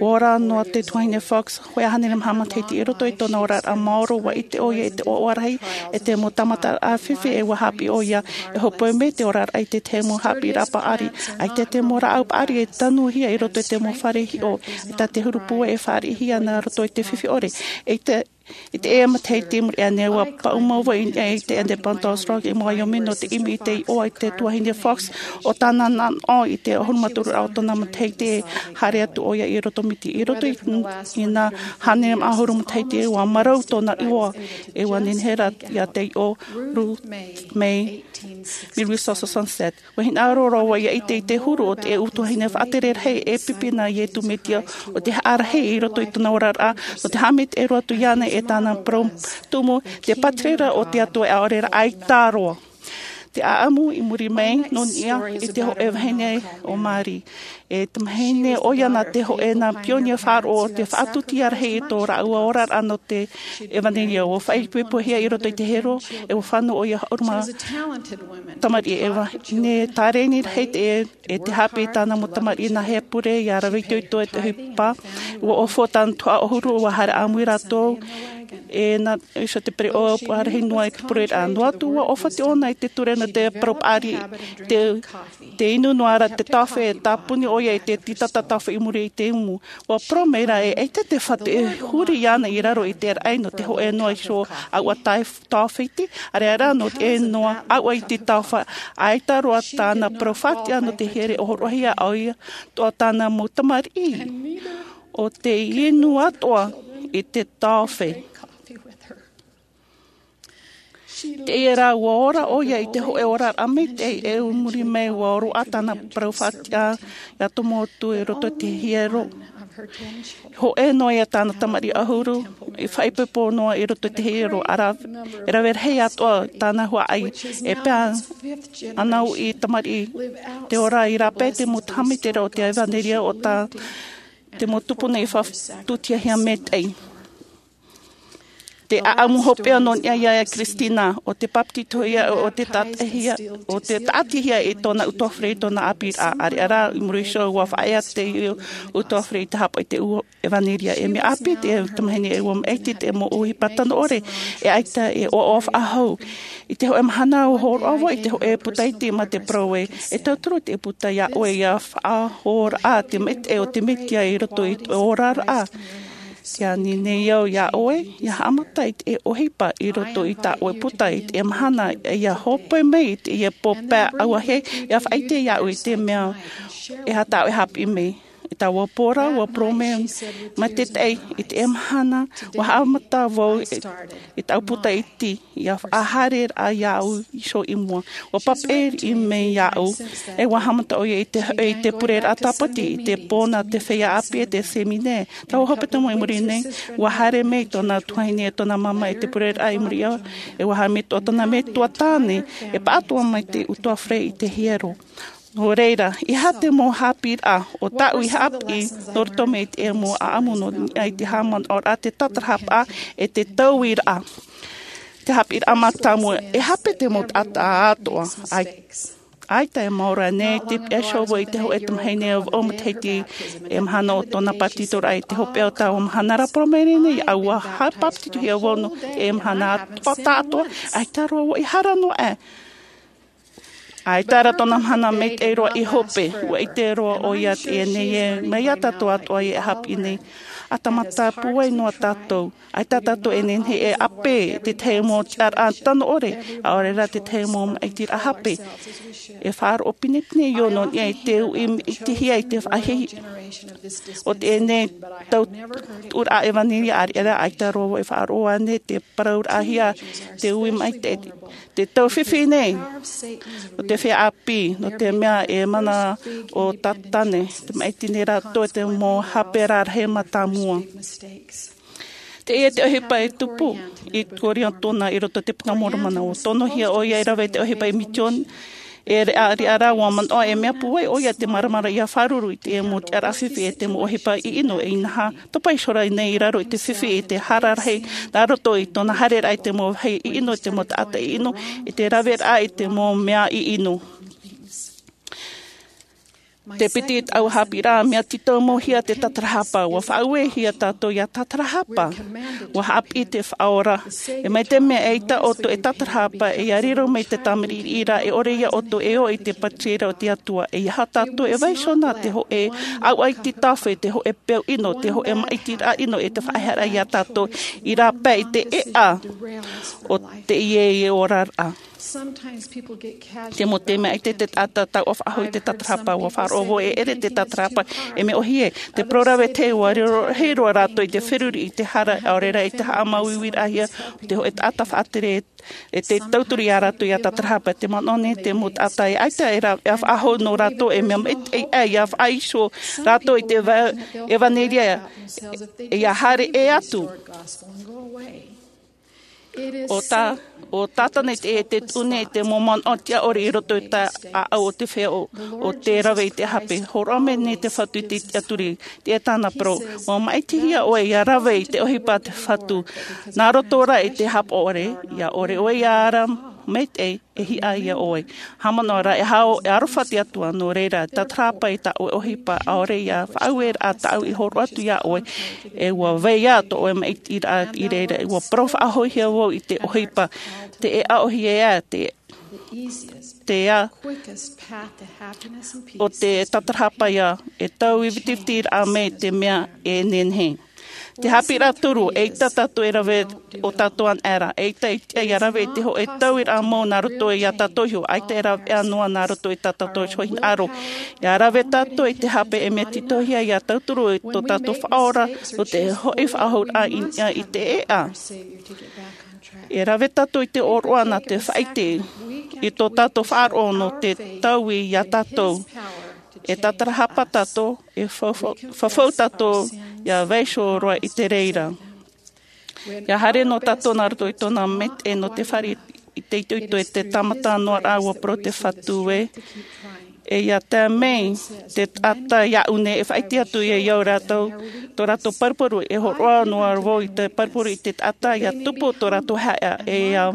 Ua ora noa te tuahine Fox, hōʻē hānere maha matahiti i roto i tōna oraraʻa maoro, ua ʻite ʻoia i te ʻoaʻoa rahi e te mau tāmataraʻa fifi, e ua haʻapiʻi ʻoia e hōpoi mai te oraraʻa i te tahi mau haʻapiʻiraʻa paʻari. ʻAita te mau rāʻau paʻari e tanuhia i roto i te mau fare hiʻo, ʻaita te huru pūai e fāriʻihia nā roto i te fifi ʻore. I te, i teie matahiti i muri aʻe nei, ua paʻuma vau i niʻa i te Independence Rock i Wyoming nō te ʻimi i te iʻoa i te tuahine Fox, ʻo tāna nanaʻo i te ʻahuru mā toru o tōna matahiti e haere atu ʻoia i roto miti. I roto i, i nā hānere maha ʻahuru matahiti, ua marau tōna iʻoa, e ua nehenehe rā ia te iʻoa Ruth Mae mil huit cent soixante-sept. Ua hinaʻaro roa vau ia ʻite i te huru o te ʻū tuahine faʻatere rahi e pipi nā Iesu Mesia, ʻo te haʻa rahi i roto i tōna oraraʻa, ʻo te haʻamaitaʻi roa atu iāna e tāna parau tumu, te pātireia o te Atua e ʻaore rā ʻaita roa. Te ʻāʻamu i muri mai nō niʻa i te hōʻē vahine ʻo Mary. E tamāhine ʻoia nā te hōʻē nā pionia faʻaroʻo o te faʻatusia rahi i tō rāua oraraʻa nō te ʻevanelia. Ua faʻaipoipohia i roto i te hiero, e ua fānau ʻoia ʻahuru mā tamariʻi. E vahine tāreni rahi te, e te haʻapiʻi i tāna mau tamariʻi nā hea pure ia rave itoito e te ʻohipa. Ua ʻōfua tāna tuhaʻa ʻahuru, ua haere ʻāmui rātou, e nā iho te pereʻoʻo puʻarahi noa i te pureraʻa. Noa atu, ua ʻōfati ʻōna i te ture nō te parau paʻari, te, te inu noa ra te tāofe, e tāpuni ʻoia i te tītata tāofe i muri i te umu. Ua parau mai rā ē, ʻaita te fatu e huri iāna i raro i te raʻi nō te hōʻē noa iho ʻāuʻa tāofe iti, ʻaore rā nō te noa ʻāuʻa iti tāofe, ʻaita roa tāna parau faʻatiʻa nō te here ʻōroʻahia ʻoia, atoʻa tāna mau tamariʻi, ʻo tē inu atoʻa i te tāofe. Teie rā, ua ora ʻoia i te hōʻē oraraʻa maitaʻi, e i muri mai ua roaʻa tāna parau faʻatiʻa ia tomo atu i roto i te hiero. Hōʻē noa ia tāna tamariʻi ʻahuru i faʻaipoipo noa i roto i te hiero, ʻa rā, e rave rahi atoʻa tāna huaʻai, e pae ana uʻi tamariʻi te ora i rāpae te mau haʻamaitaʻiraʻa o te ʻevanelia, ʻo tā te mau tupuna i faʻatutiahia maitaʻi. Te ʻaʻamu hopeʻa nō niʻa iā Kristina, ʻo te papetitohia, ʻo te taʻatihia, ʻo te taʻatihia i tōna utuafare, i tōna ʻāpīraʻa. ʻĀreʻa rā, i muri iho, ua faʻaea te utuafare i te hāpaʻo i te ʻevanelia. E mea ʻāpī te tamahine, e ua maʻiti te mau ʻohipa tano ʻore, e ʻaita e ʻoaʻoa faʻahou. I te hōʻē mahana, ua hōroʻa vau i te hōʻē puta iti mā te parau ē, e tauturu te puta iā ʻoe ʻia faʻahoʻiraʻa te maitaʻi o te Mesia i roto i tō oraraʻa. Tē ani nei au iā ʻoe, ʻia haʻamata i te ʻohipa i roto i tā ʻoe puta i te mahana, ʻia hope mai i te pō pae auahi, ʻia faʻaʻite iāʻu i te mea e aha tā ʻoe e haʻapiʻi mai. I taua pō ra, ua parau mai te taʻata, i te mahana, ua haʻamata vau i, i tāʻu puta iti, ʻia faʻahaere rā iāʻu iho i mua. Ua papaʻi mai iāʻu, e ua haʻamata ʻoia i te, i te pureraʻa tāpati, i te pō nā te feiā ʻāpī e te seminare. Taua hepetoma i muri nei, ua haere mai tōna tuahine e tōna māmā i te pureraʻa i muri iho, e ua haere mai tō tōna metua tāne, e pāʻatoʻa mai te utuafare i te hiero. Nō reira, e aha te mau haʻapiʻiraʻa ʻo tāʻu i haʻapiʻi nō roto mai i te mau ʻaʻamu nō niʻa i te haʻamanaʻoraʻa, te tātarahapa, e te tauiraʻa? Te haʻapiʻiraʻa mātāmua, e hape te mau taʻata atoʻa, ʻai-, ʻaita e maoro nei te piha iho vau i te hōʻē tamahine e vaʻu matahiti, e mahana o tōna papetitoraʻa. I te hopeʻa o taua mahana ra, parau mai nei, ʻua papetitohia vau nō te mahana atoʻa, atoʻa, ʻaita roa vau i hara noa aʻe. ʻAita rā tōna mahana maitaʻi roa i hope, ua ʻite roa ʻoia teie nei ē, mai iā tātou atoʻa e haʻapiʻi nei. ʻA tāmata pūai noa tātou. ʻAita tātou e nehenehe e ʻāpī i te tahi mau tiʻaraʻa tano ʻore, ʻaore rā te tahi mau maʻitiraʻa hape. E faʻaroʻo pinepine ʻoia nō niʻa i te uʻi maitaʻihia i te faʻahiahia o teie nei tau tuʻuraʻa ʻevanelia, ʻāreʻa rā, ʻaita roa vau e faʻaroʻo ānei te parauraʻahia te uʻi maitaʻi, te tau fifi nei o te feiā ʻāpī, nō te mea e mana ʻo Sātane, tē maʻiti nei rātou i te mau hape rarahi mātāmua. Teie te ʻohipa e tupu i Korianetona i roto i te Puka a Moromona, ʻua tonohia ʻoia e rave i te ʻohipa i Misiona. E ʻāreʻa rā, ʻua manaʻo e mea pūai ʻoia te māramarama ʻia fāruru i te mau tiʻaraʻa fifi e te mau ʻohipa ʻiʻino, e inaha, topa iho rā nei i raro i te fifi i te hara rahi nā roto i tōna haereraʻa i te mau vāhi ʻiʻino, i te mau taʻata ʻiʻino, i te raveraʻa i te mau mea ʻiʻino. Te piti i taua haʻapiʻiraʻa, mea tītau-mau-hia te tātarahapa, ʻua faʻauehia tātou ʻia tātarahapa. ʻUa haʻapiʻi te Faʻaora, e mai te mea ʻaita ʻoutou e tātarahapa, ʻia riro mai te tāmiri ra, e ʻore ia ʻoutou e ō i te pātireia o te Atua. ʻEiaha tātou e vaiiho nā te hōʻē ʻauʻaiti tāfe, te hōʻē peu ʻino, te hōʻē maʻitiraʻa ʻino, e te faʻaʻohiparaʻa iā tātou i rāpae i te ʻēʻa o teie oraraʻa. Te mau taime ʻaita te taʻata tauʻa faʻahou i te tātarahapa, ʻua faʻaroʻo vau e ʻere te tātarahapa e mea ʻōhie. Te parau rave ē, ʻua riro, riro rātou i te feruri, i te hara, ʻaore rā i te haʻamāuiuiraʻahia o te hōʻē taʻata faʻatere, e te tauturu iā rātou ʻia tātarahapa. Te manaʻo nei te mau taʻata e ʻaita e rā, e faʻahou nō rātou e mea maitaʻi ʻia faʻaiho rātou i te va-, ʻevanelia, ʻia haere ʻē atu. ʻO tā, ʻo Sātane te, e te tuʻu nei te mau manaʻo tiʻaʻore i roto i te ʻāʻau o te feiā ʻo, ʻo te rave i te hape. Hōroʻa mai nei te Fatu i te tiʻaturi, teie tāna parau: ʻUa maʻitihia ʻoe ʻia rave i te ʻohipa a te Fatu. Nā roto rā i te haʻapaʻo ʻore, ʻia ʻore ʻoe ʻia ara maitaʻi, e hiʻa ia ʻoe. Haʻamanaʻo rā, e hau, e aroha te Atua, nō reira, tātarahapa i tā ʻoe ʻohipa, ʻaore ia faʻaueraʻa tāʻu i hōroʻa atu iā ʻoe, e ʻua vai ā tō ʻoe maʻitiraʻa i reira, ʻua parau faʻahouhia vau i te ʻohipa, te ʻēʻa ʻōhie ā, te, te ā, ʻo te tātarahapa ïa, e taui vitiviti raʻa mai te mea e nehenehe. Te haʻapiʻiraʻa toru, eʻita tātou e rave ʻo tātou anaʻe ra, eʻita e tiʻa ʻia rave i te hōʻē tauiraʻa mau nā roto iā tātou iho, ʻaita e rave noa nā roto i tā tātou iho hinaʻaro. ʻIa rave tātou i te hape, e mea tītauhia ʻia tauturu i tō tātou Faʻaora, nō te hoʻi faʻahouraʻa i, i te ʻēʻa. E rave tātou i te ʻōroʻa nā te faʻaʻite i tō tātou faʻaroʻo nō te taui iā tātou. E tātarahapa tātou, e fau-, fau-, fafau tātou ʻia vaiiho roa i te reira. ʻIa haere noa tātou nā roto i tōna maitaʻi nō te fare i te itoito, i te tāmata noa ra ʻua parau te Fatu ē, E ia tae mai te taʻata iaʻu nei e faʻaʻite atu ia iā rātou tō rātou paruparu, e hōroʻa noa vau i te paruparu i te taʻata ia tupu tō rātou haʻa, e ia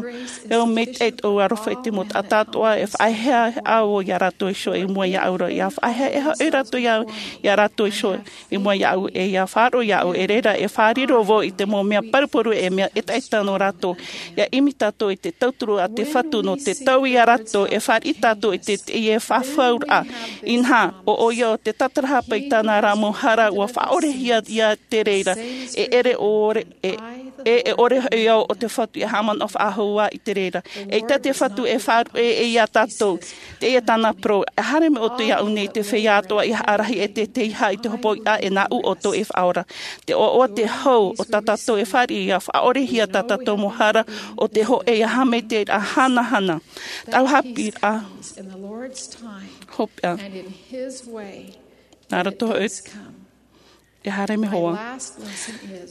e au mai te tō aroha i te mau taʻata atoʻa e faʻaehaeha au iā rātou iho i mua iāʻu ra, ia faʻaehaeha rātou iā, iā rātou iho i mua iāʻu, e ia faʻaroʻo iāʻu, e reira e fārerei vau i te mau mea paruparu e mea ʻetaʻeta nō rātou. Ia ʻimi tātou i te tauturu a te Fatu nō te taui iā rātou, e fāriʻi tātou i te, te, e fafauraʻa. Inaha, ʻo, ʻo ia o te tatarahapa i tāna ra mau hara, ua faʻaʻorehia ia te reira, e ʻere ʻore, e, e, e ʻore hoʻi au o te Fatu e haʻamanaʻo faʻahou ā i te reira. E ʻita te Fatu e faʻaruʻe e ia tātou. Teie tāna parau, e haere mai ʻoutou iāʻu nei te feiā atoʻa i haʻarahi e te, te iha i te hopoiʻa e nāʻu ʻoutou e faʻaora. Te ʻoaʻoa te hau o tā tātou e fāriʻi ia faʻaʻorehia tā tātou mau hara ʻo te hōʻē ia haʻamaitaʻiraʻa hanahana. Tāʻu haʻapiʻiraʻa hopeʻa. Nā roto hoʻi e haere mai hoʻi.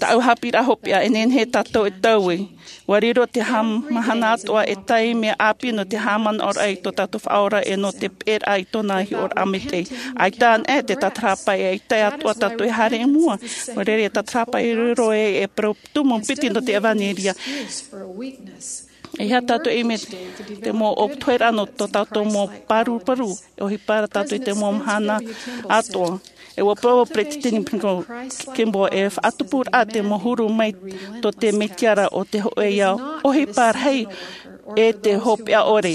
Tāʻu haʻapiʻiraʻa hopeʻa, e nehenehe tātou e taui. Ua riro te haʻamahana atoʻa e tahi mea ʻāpī nō te haʻamanaʻoraʻa i tō tātou Faʻaora e nō te peʻeraʻa i tōna hiʻoraʻa maitaʻi. ʻAita anaʻe te tatarahapa, e ʻaita atoʻa tātou e haere i mua. Nō reira, e tatarahapa e riro e, e parau tumu piti nō te ʻevanelia. E aha tātou e ʻimi, te mau ʻōpuahiraʻa nō tō tātou mau paruparu, e ʻohipa ra tātou i te mau mahana atoʻa. E ua parau Peresideni Kimball, e faʻatupuraʻa te mau huru mai tō te Mesia ra ʻo te hōʻē ia ʻohipa rahi e te hopeʻa ʻore.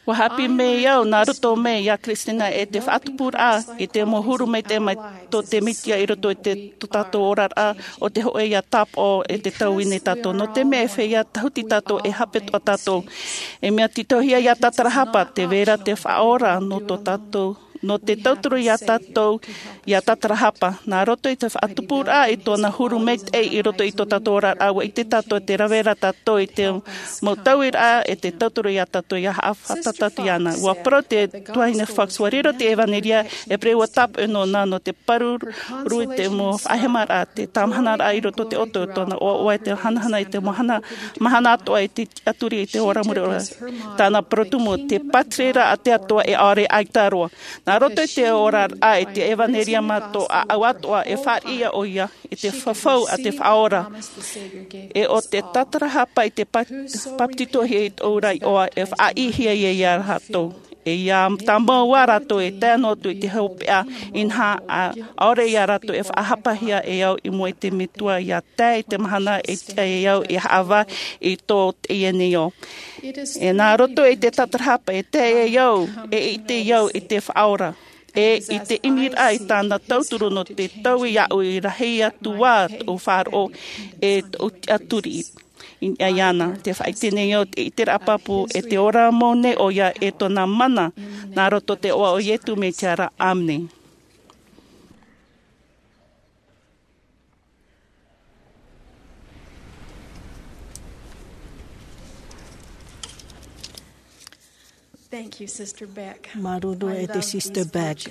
Ua haʻapiʻi mai au nā roto mai iā Kristina e te faʻatupuraʻa i te mau huru maitaʻi mai tō te Mesia i roto i te, tō tātou oraraʻa ʻo te hōʻē ia tāpaʻo e te taui nei tātou. Nō te mea e feiā tahuti tātou, e hape atoʻa tātou. E mea tītauhia ia tatarahapa, tē vai ra te Faʻaora nō tō tātou, nō te tauturu ia tātou ia tatarahapa. Nā roto i te faʻatupuraʻa i tōna huru maitaʻi i roto i tō tātou oraraʻa, ua ʻite tātou tē rave ra tātou i te mau tauiraʻa e te tauturu ia tātou ia haʻafātata atu iāna. Ua parau te tuahine Fox, ua riro te ʻevanelia, e parau ua tāpaʻo nōna nō te pāruru i te mau faʻahemaraʻa, te tāmahanaraʻa i roto i te ʻoto, tōna ʻoaʻoa i te hanahana i te mahana, mahana atoʻa i te tiʻaturi i te ora mure ora. Tāna parau tumu, te pātiriraʻa a te Atua e ʻaore ʻaita roa. Nā roto i te oraraʻa i te ʻevanelia mā tō ʻāʻau atoʻa, e fāriʻi ʻoia i te fafau a te Faʻaora. E ʻo te tatarahapa i te pa-, papetitohia i tōʻu ra iʻoa, e faʻaʻitehia ia rātou. E ia tāmau ā rātou e tae noa atu i te hopeʻa, inaha, ʻaore ia rātou e faʻahapahia e au i mua i te Metua, ia tae i te mahana e tiʻa e au e haʻavā i tō teie nei ao. E nā roto i te tatarahapa e tae e au, e ʻite au i te Faʻaora. E i te ʻimiraʻa i tāna tauturu nō te taui iāʻu, i rahi atu ā tōʻu faʻaroʻo e tōʻu tiʻaturi. I niʻa iāna, te faʻaʻite nei au te ʻiteraʻa pāpū e te ora mau nei ʻoia e tōna mana, nā roto i te iʻoa o Iesu Mesia ra. ʻĀmene. Thank you, Sister Beck. Māuruuru e te Sister Beck.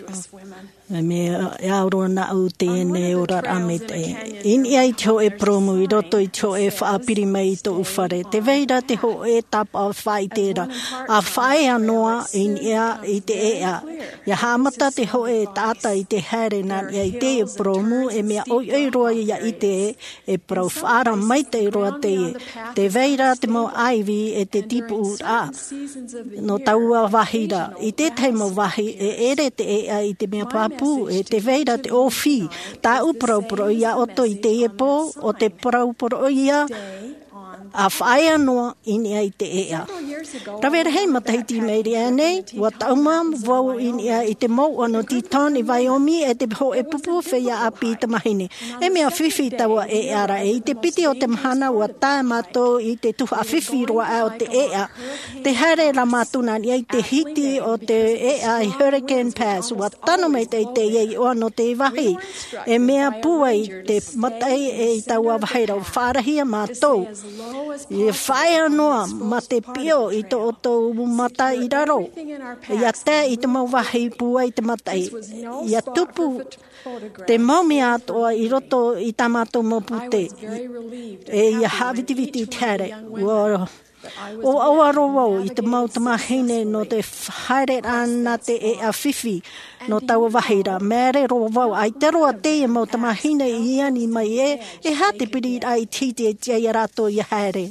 Mea, e aroha nāʻu i teie nei oraraʻa maitaʻi. I niʻa i te hōʻē purōmu i roto i te hōʻē faʻapiri mai i tōʻu fare, tē vai ra te hōʻē tāpaʻo faʻaʻite ra, ʻa faʻaea noa i niʻa i te ʻēʻa. ʻIa haʻamata te hōʻē taʻata i te haere nā niʻa i teie purōmu, e mea ʻoiʻoi roa ʻia ʻite e parau faʻaara maitaʻi roa teie. Tē vai ra te mau ʻāivi e te tīpuʻuraʻa. Nō taua vāhi ra, i tētahi mau vāhi, e ʻere te ʻēʻa i te mea pāpū, e tē vai ra te ʻōfī. Tāʻu parauparaʻa iā ʻoutou i teie pō, ʻo te parauparaʻa ia, ʻa faʻaea noa i niʻa i te ʻēʻa. Rave rahi matahiti i mairi aʻe nei, ʻua taʻuma vau i niʻa i te mouʻa nō Teton i Vaiomi, e te hōʻē pupu feiā ʻāpī tamāhine. E mea fifi taua ʻēʻa ra, e i te piti o te mahana ʻua tae mātou i te tuhaʻa fifi roa aʻe o te ʻēʻa. Tē haere ra mātou nā niʻa i te hiti o te ʻēʻa i Hurricane Pass, ʻua tano maitaʻi teie iʻoa nō te vāhi. E mea pūai te mataʻi e i taua vāhi ra, ʻua faʻaarahia mātou. ʻIa faʻaea noa mā te piʻo i tō ʻoutou mata i raro. ʻIa tae i te mau vāhi pūai te mataʻi. ʻIa tupu te mau mea atoʻa i roto i tā mātou mau pūtē. E ʻia haʻavitiviti i te haere. ʻUa ʻO ʻaua roa vau i te mau tamāhine nō te haereraʻa nā te ʻēʻa fifi nō taua vāhi ra. Māere roa vau, ʻaita roa teie mau tamāhine i ani mai ē, e aha te piriraʻa i te hiti e tiʻa ia rātou ia haere.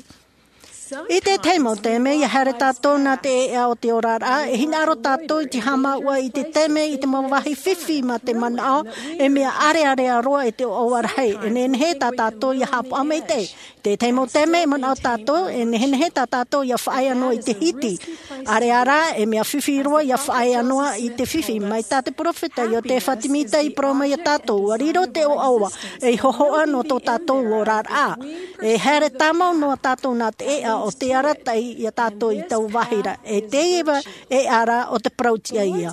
I te tahi mau taime, ia haere tātou nā te ʻēʻa o te oraraʻa, e hinaʻaro tātou i te haʻamāuʻa i te taime i te mau vāhi fifi mā te manaʻo, e mea ʻarearea roa e te ʻoaʻoa rahi, e nehenehe tā tātou ia haʻapaʻo maitaʻi. Te tahi mau taime e manaʻo tātou, e nehenehe tā tātou ia faʻaea noa i te hiti. ʻAreʻa rā, e mea fifi roa ia faʻaea noa i te fifi. Mai tā te peropheta Iotefa Temita i parau mai ia tātou, ʻua riro te ʻoaʻoa, ei hōhoʻa nō tō tātou oraraʻa. E haere tāmau noa tātou nā te ʻēʻa o te arataʻi ia tātou i taua vāhi ra. E teie ʻēʻa ra o te parau tiʻa ia.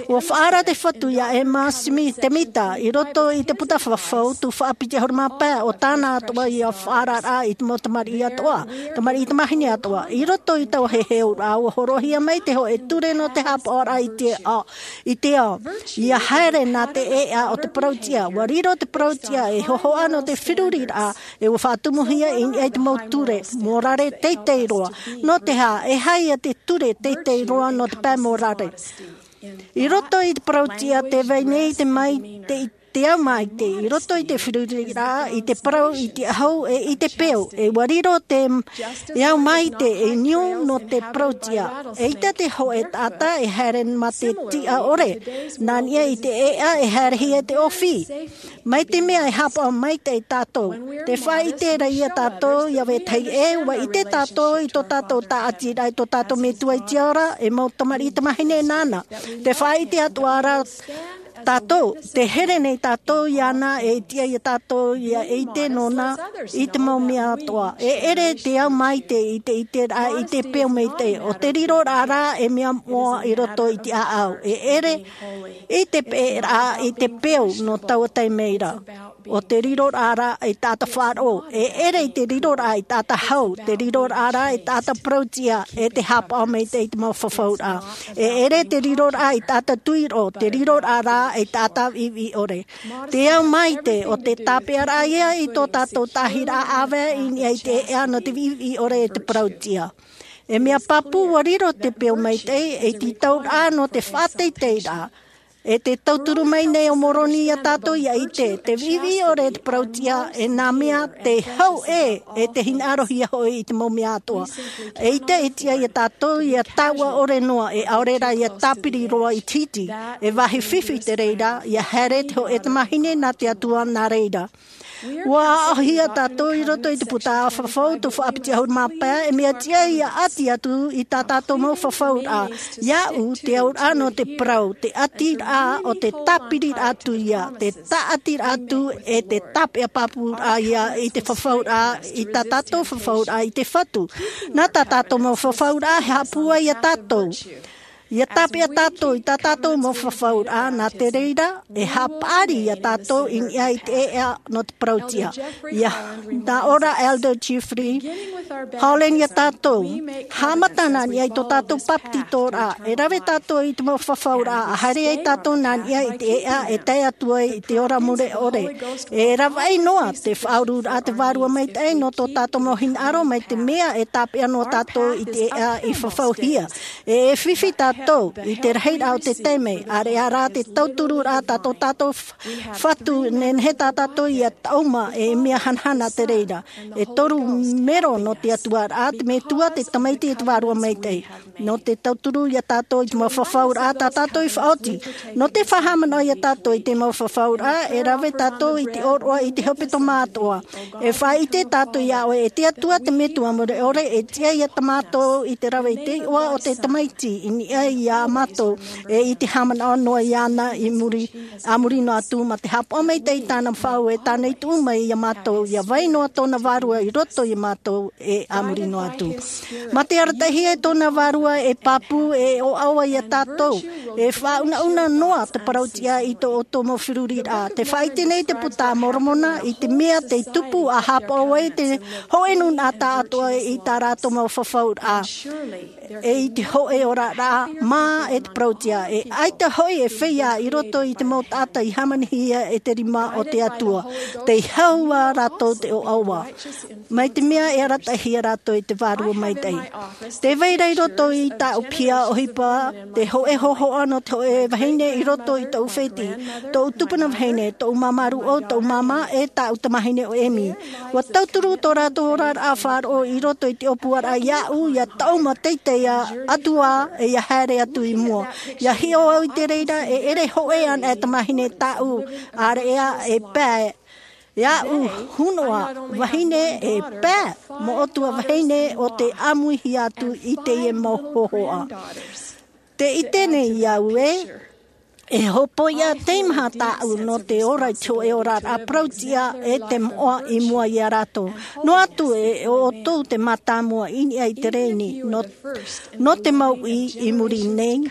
ʻUa faʻaara te Fatu ia Emma Smith Temita i roto i te puta fafau, tuhaʻa piti ʻahuru mā pae, ʻo tāna atoʻa ia faʻaararaʻa i te mau tamariʻi atoʻa, tamariʻi tamāhine atoʻa. I roto i taua heheuraʻa, ʻua hōroʻahia mai te hōʻē ture nō te haʻapaʻoraʻa i te ao, i te ao. Ia haere nā te ʻēʻa o te parau tiʻa, ʻua riro te parau tiʻa ei hōhoʻa nō te feruriraʻa, e ʻua faʻatumuhia i niʻa i te mau ture mōrare teitei roa. Nō te aha, e aha ia te ture teitei roa nō te pae mōrare? I roto i te parau tiʻa tē vai nei te mai, te, te ao maitaʻi, i roto i te feruriraʻa, i te parau, i te ʻahu, e i te peu, e ʻua riro te, e ao maitaʻi ei niu nō te parau tiʻa. ʻAita te hōʻē taʻata e haere mā te tiʻa ʻore, nā niʻa i te ʻēʻa e haerehia te ʻōfī. Mai te mea e haʻapaʻo maitaʻi tātou, tē faʻaʻite ra ia tātou ia vetahi ʻē, ʻua ʻite tātou i tō tātou tāʻatiraʻa i tō tātou Metua i te ao ra, e mau tamariʻi tamāhine nāna. Tē faʻaʻite atoʻa ra tātou, tē here nei tātou iāna, e tiʻa ia tātou ia ʻite nōna i te mau mea atoʻa. E ʻere te ao maitaʻi i te ʻiteraʻa i te peu maitaʻi, ʻo te riroraʻa rā e mea moʻa i roto i te ʻāʻau. E ʻere i te peʻeraʻa i te peu nō taua taime ra. ʻO te riroraʻa rā i taʻata faʻaroʻo, e ʻere i te riroraʻa i taʻata hau, te riroraʻa rā i taʻata parau tiʻa, e te haʻapaʻo maitaʻi i te mau fafauraʻa. E ʻere te riroraʻa i taʻata tuiroʻo, te riroraʻa rā i taʻata viʻiviʻi ʻore. Te ao maitaʻi, ʻo te tāpeʻaraʻa ia i tō tātou taʻahiraʻa ʻāvae i niʻa i te ʻēʻa nō te viʻiviʻi ʻore e te parau tiʻa. E mea pāpū ʻua riro te peu maitaʻi, e te tauraʻa nō te faʻateiteiraʻa. E te tauturu mai nei o Moroni ia tātou ia ʻite, te viʻiviʻi ʻore e te parau tiʻa, e nā mea te hau ʻē, e te hinaʻarohia hoʻi i te mau mea atoʻa. ʻAita e tiʻa ia tātou ia tāuʻa ʻore noa, e ʻaore rā ia tāpiri roa i te hiti, e vāhi fifi te reira, ia haere te hōʻē tamāhine nā te Atua nā reira. ʻUa aʻohia tātou i roto i te puta fafau, tuhaʻa piti ʻahuru mā pae, e mea tiʻa ia ʻati atu i tā tātou mau fafauraʻa. Iāʻu, te auraʻa nō te parau, te ʻatiraʻa ʻo te tāpiriraʻa atu ia, te tāʻatiraʻa atu e te tāpeʻa pāpūraʻa ia i te fafauraʻa, i tā tātou fafauraʻa i te Fatu. Nā tā tātou mau fafauraʻa, e haʻapūai ia tātou. Ia tāpeʻa tātou i tā tātou mau fafauraʻa, nā te reira, e haʻapaʻari ia tātou i niʻa i te ʻēʻa nō te parau tiʻa. Ia, nā ʻō ra Elder Jeffrey Holland ia tātou, haʻamata nā niʻa i tō tātou papetitoraʻa, e rave tātou i te mau fafauraʻa, a haere ai tātou nā niʻa i te ʻēʻa e tae atu ai i te ora mure ʻore. E ravaʻi noa te faʻaururaʻa te Vārua Maitaʻi nō tō tātou mau hinaʻaro mai te mea e tāpeʻa noa tātou i te ʻēʻa i fafauhia. E, e fifi tātou i te rahiraʻa o te taime, ʻareʻa rā te tauturu rā tā tō tātou f-, Fatu, nehenehe tā tātou ia taʻuma e mea hanahana te reira. E toru mero nō te Atua rā, te Metua, te Tamaiti, e te Vārua Maitaʻi. Nō te tauturu ia tātou i te mau fafauraʻa tā tātou i faʻaoti. Nō te faʻahaʻamanaʻo ia tātou i te mau fafauraʻa, e rave tātou i te ʻōroʻa i te hepetoma atoʻa. E faʻaʻite tātou iā ʻoe, e te Atua te Metua mure ʻore, e tiʻa ia tā mātou i te rave i te iʻoa o te Tamaiti, i niʻa iā mātou, e i te haʻamanaʻo noa iāna i muri, a muri noa atu, mā te haʻapaʻo maitaʻi i tāna faʻaue, tāna i tuʻu mai iā mātou, ia vai noa tōna Vārua i roto iā mātou, e a muri noa atu. Mā te arataʻihia e tōna Vārua e pāpū, e ʻoaʻoa ia tātou, e faʻaunauna noa te parau tiʻa i tō ʻoutou mau feruriraʻa. Tē faʻaʻite nei te Puta a Moromona i te mea tei tupu a haʻapaʻo ai te hōʻē nūnaʻa tāʻatoʻa i tā rātou mau fafauraʻa. e i te hoʻe oraraʻa mā e te parauʻtiʻa. E ʻaita hoʻi e feiā i roto i te mau taʻata i hāmanihia e te rima o te Atua. Tei hau ā rātou te ʻoaʻoa, mai te mea e arataʻihia rātou i te vārua maitaʻi. Tē vai ra i roto i tāʻu piha ʻohipa te hoʻe hōhoʻa nō te hoʻe vahine i roto i tōʻu fētiʻi, tōʻu tupuna vahine, tōʻu māmā rūʻau, tōʻu māmā, e tāʻu tamāhine ʻo Emi. Ua tauturu tō rātou oraraʻa faʻaroʻo i roto i te ʻōpuaraʻa iāʻu, ʻia taʻuma teitei atu ā, e ʻia haere atu i mua. ʻIa hiʻo au i te reira, e ʻere hoʻi ana e tamāhine tāʻu āreʻa e pae. Iāʻu hōhoʻa vahine e pae, moʻotua vahine o te ʻāmuihia atu i teie mau hōhoʻa. Tē ʻite nei au ē, e hopoiʻa teimaha tāʻu nō te ora i te hoʻe oraraʻa parauʻtiʻa e te moʻa i mua iā rātou. Noa atu e ʻoutou te mātāmua i niʻa i te rēni, nō, nō te mauʻi i muri nei,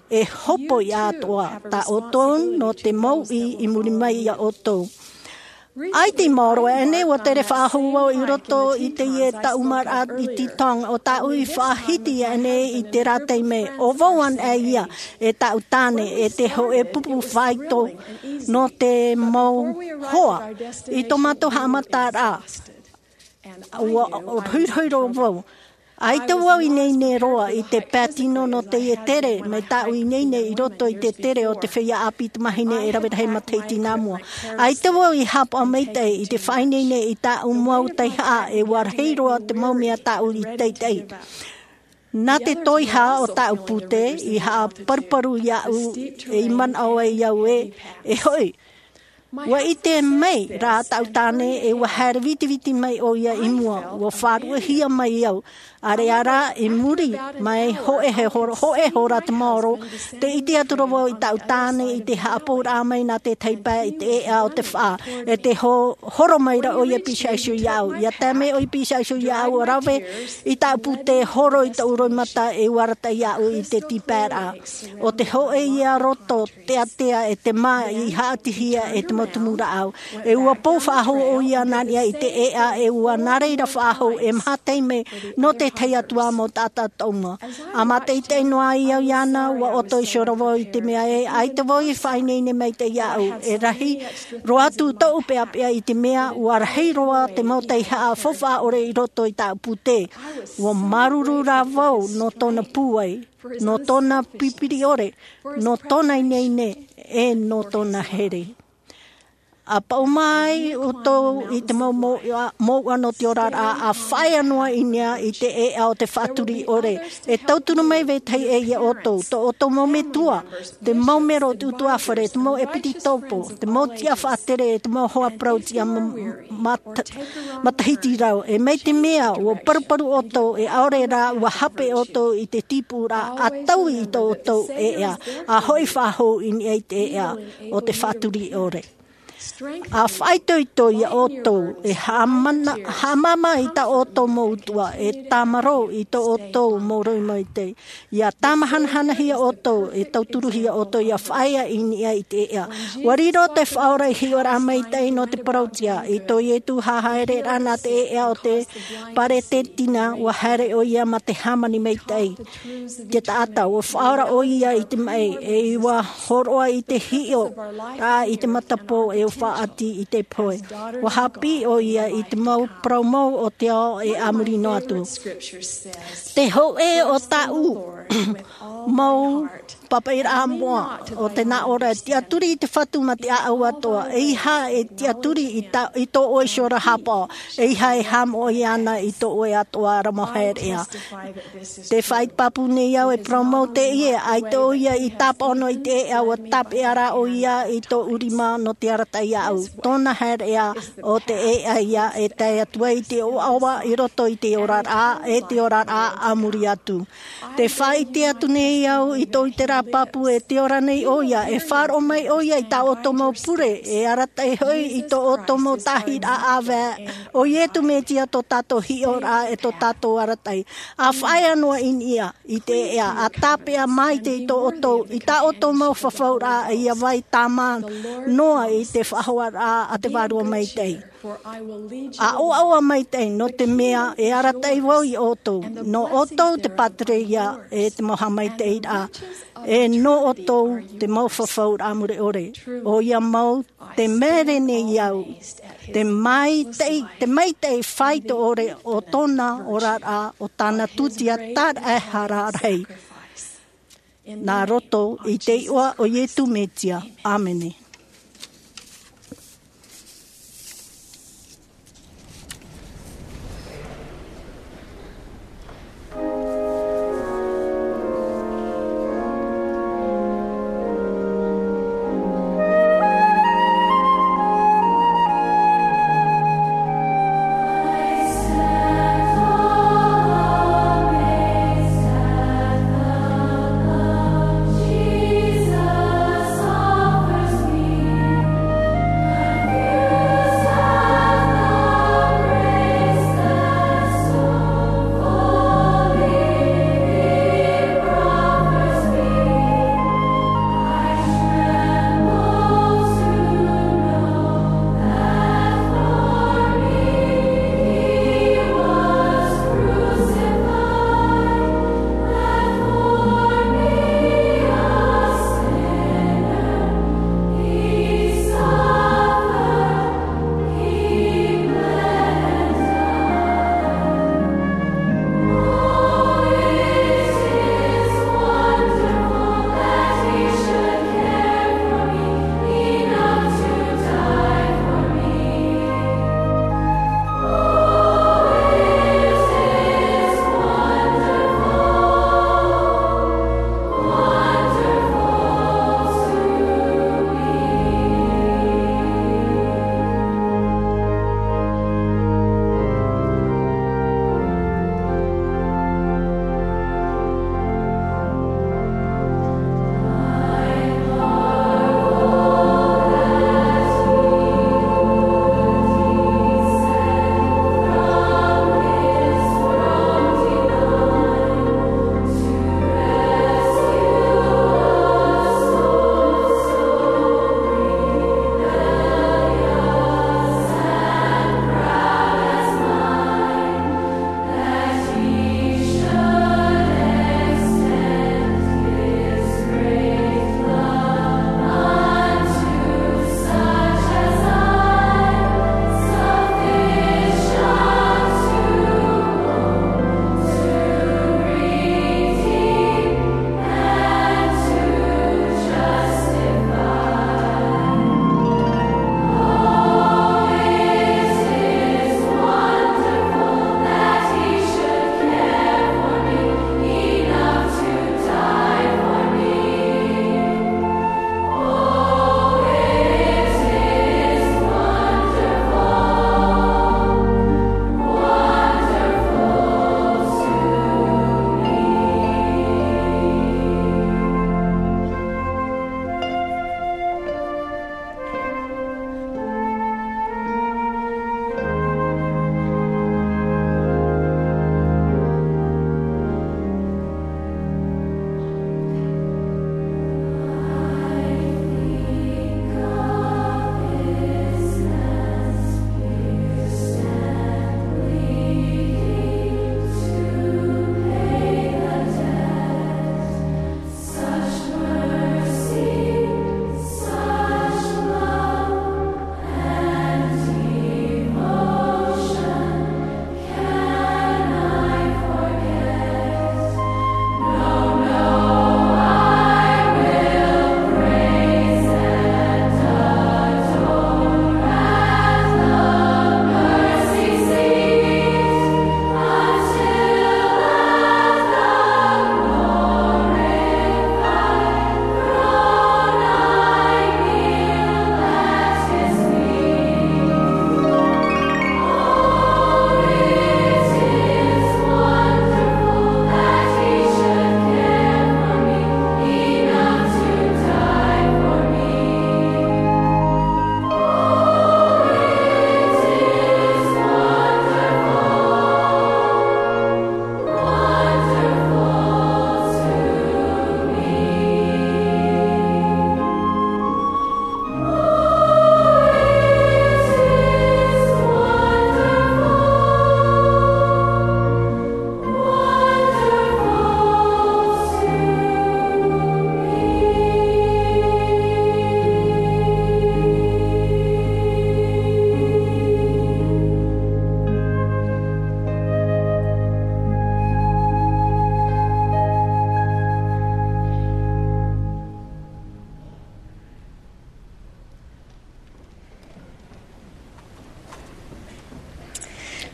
e hopoiʻa atoʻa tā ʻoutou nō te mauʻi i muri mai iā ʻoutou. ʻAita i maoro aʻenei, ua tere faʻahou vau i roto i teie taʻumaraʻa i te tonga o tāʻu i faʻahiti aʻenei i terā taime. ʻO vau anaʻe ia, e tāʻu tāne, e te hoʻe pupu faito nō te mau hoa. I tō mātou haʻamataraʻa, ua rohirohi roa vau. ʻAita vau i ineine roa i te pae tino nō teie tere, mai tāʻu i ineine i roto i te tere o te feiā ʻāpī tamāhine e rave rahi matahiti nā mua. ʻAita vau i haʻapaʻo maitaʻi i te faʻaineine i tāʻu mau teiaha, e ua rahi roa te mau mea tāʻu i taʻitaʻi. Nā te toiha o tāʻu pūtē, i haʻaparuparu iāʻu, e i manaʻo ai au ē, e hoʻi. Ua ʻite mai rā tāʻu tāne, e ua haere vitiviti mai ʻoia i mua, ua faʻaruʻehia mai au. ʻĀreʻa rā, i muri mai, hōʻē he hora, hōʻē hora te maoro, tē ʻite atu ra vau i tāʻu tāne i te haʻapouraʻa mai nā te tahi pae i te ʻēʻa o te faʻa, e tē ho-, horo mai ra ʻoia pisaʻi iho iāʻu. ʻIa tae mai ʻoia pisaʻi iho iāʻu, ʻua rave i tāʻu pūtē, horo i tōʻu roimata, e ua arataʻi iāʻu i te tīpaeraʻa. ʻO te hōʻē ia roto teatea e te mā i haʻatihia e te mau tumu rāʻau. E ua pou faʻahou ʻoia nā niʻa i te ʻēʻa, e ua nā reira faʻahou e maha taime nō te tahi atu ā mau taʻata taʻuma. ʻA mātaʻitaʻi noa ai au iāna, ua ʻoto iho ra vau i te mea ē, ʻaita vau i faʻaineine maitaʻi iāʻu, e rahi roa atu tōʻu peʻapeʻa i te mea, ua rahi roa te mau teiaha faufaʻa ʻore i roto i tāʻu pūtē. Ua māuruuru rā vau nō tōna pūai, nō tōna pipiri ʻore, nō tōna ineine, e nō tōna here. ʻA paʻuma ai ʻoutou i te mau mouʻa, mouʻa nō te oraraʻa, ʻa faʻaea noa i niʻa i te ʻēʻa o te faʻaturi ʻore. E tauturu mai vetahi ē iā ʻoutou, tō ʻoutou mau metua, te mau mero o te ʻutuāfare, te mau ʻepisekopo, te mau tiʻa faʻatere, te mau hoa parauʻtiʻa ma-, mat-, matahiti rau. E mai te mea, ua paruparu ʻoutou, e ʻaore rā, ua hape ʻoutou i te tīpūraʻa, ʻa taui i tō ʻoutou ʻēʻa, ʻa hoʻi faʻahou i niʻa i te ʻēʻa o te faʻaturi ʻore. ʻA faʻaitoito iā ʻoutou, e haʻamana-, haʻamāmā i tā ʻoutou mau utuʻa, e tāmarō i tō ʻoutou mau roimata. ʻIa tāmahanahanahia ʻoutou, e tauturuhia ʻoutou, ʻia faʻaea i niʻa i te ʻēʻa. Ua riro te Faʻaora i hiʻoraʻa maitaʻi nō te parauʻtiʻa, i tō Ietu hahaereraʻa nā te ʻēʻa o te Paretentina, ua haere ʻoia mā te hāmani maitaʻi. Te taʻata, ua faʻaora ʻoia i te maʻi, e ua hōroʻa i te hiʻo, ā, i te matapō, e ua faʻaʻati i te pohe. Ua haʻapiʻi ʻoia i te mau parau mau o te ao e a muri noa atu. Te hōʻē o tāʻu mau pāpaʻiraʻa moʻa, ʻo te nā ʻō ra, tiʻaturi i te Fatu mā te ʻāʻau atoʻa, ʻeiaha e tiʻaturi i tā, i tō ʻoe iho ra haʻapaʻo, ʻeiaha e haʻamoʻe ana i tō ʻoe atoʻa ra mau haereʻa. Tē faʻaʻite pāpū nei au e parau mau teie, ʻaita ʻoia i tāpaʻo noa i te ʻēʻa, ua tāpeʻa rā ʻoia i tōʻu rima nō te arataʻi iāʻu. Tōna haereʻa, ʻo te ʻēʻa ïa e tae atu ai te ʻoaʻoa i roto i te oraraʻa, e te oraraʻa a muri atu. Tē faʻaʻite atu nei au i tō ʻoe terā pāpū, e te ora nei ʻoia, e faʻaroʻo mai ʻoia i tā ʻoutou mau pure, e arataʻi hoʻi i tō ʻoutou mau tāhiraʻa ʻāvae, ʻo Ietu Metia tō tātou hiʻoraʻa e tō tātou arataʻi. ʻA faʻaea noa i niʻa i te ʻēʻa, ʻa tāpeʻa maite i tō ʻoutou, i tā ʻoutou mau fafauraʻa, ʻia vai tāmā noa i te faʻahoaraʻa a te Vārua Maitaʻi. ʻA ʻoaʻoa maitaʻi, nō te mea e arataʻi vau iā ʻoutou. Nō ʻoutou te pātireia e te mau haʻamaitaʻiraʻa. E nō ʻoutou te mau fafauraʻa mure ʻore. ʻOia mau te mere nei au. Te maitaʻi, te maitaʻi faito ʻore o tōna oraraʻa, o tāna tūtia tāraʻehara rahi. Nā roto i te iʻoa o Iesu Mesia. ʻĀmene.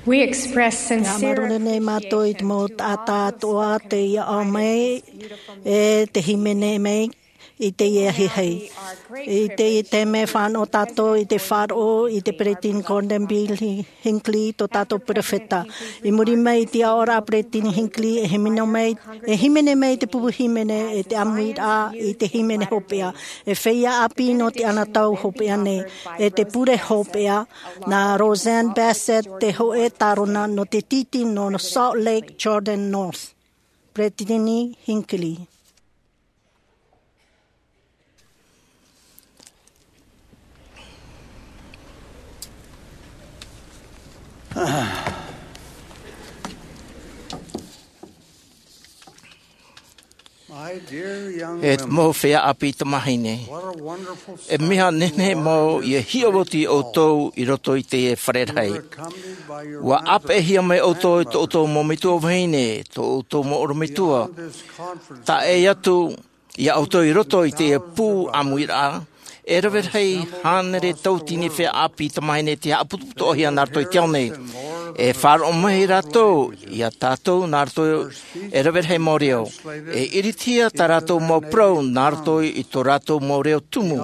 We express sincere māuruuru nei mātou i te mau taʻata atoʻa tei ʻaʻau mai e tei hīmene mai i teie ahiahi. I teie taime, fānaʻo tātou i te faʻaroʻo i te Peresideni Gordon B. Hinckley, tō tātou perofeta. I muri mai i te aʻoraʻa a Peresideni Hinckley, e hīmene mai, e hīmene mai te pupu hīmene e te ʻāmuiraʻa i te hīmene hopeʻa. E feiā ʻāpī nō te anotau hopeʻa nei, e te pure hopeʻa, nā Rosanne Bassett, te hōʻē tārona nō te tītī nō Salt Lake Jordan North. Peresideni Hinckley. E te mau feiā ʻāpī tamāhine, e mea nehenehe mau ia hiʻo atu ʻoutou i roto i teie fare rahi. Ua ʻāpeʻehia mai ʻoutou e tō ʻoutou mau metua vahine, tō ʻoutou mau ʻorometua. Taʻe atu ia ʻoutou i roto i teie pū ʻāmuiraʻa, e rave rahi hānere tauatini feiā ʻāpī tamāhine tei haʻaputuputuhia nā roto i te ao nei. E faʻaroʻo mai rātou ia tātou nā roto e rave rahi mau reo. E iritihia tā rātou mau parau nā roto i tō rātou mau reo tumu.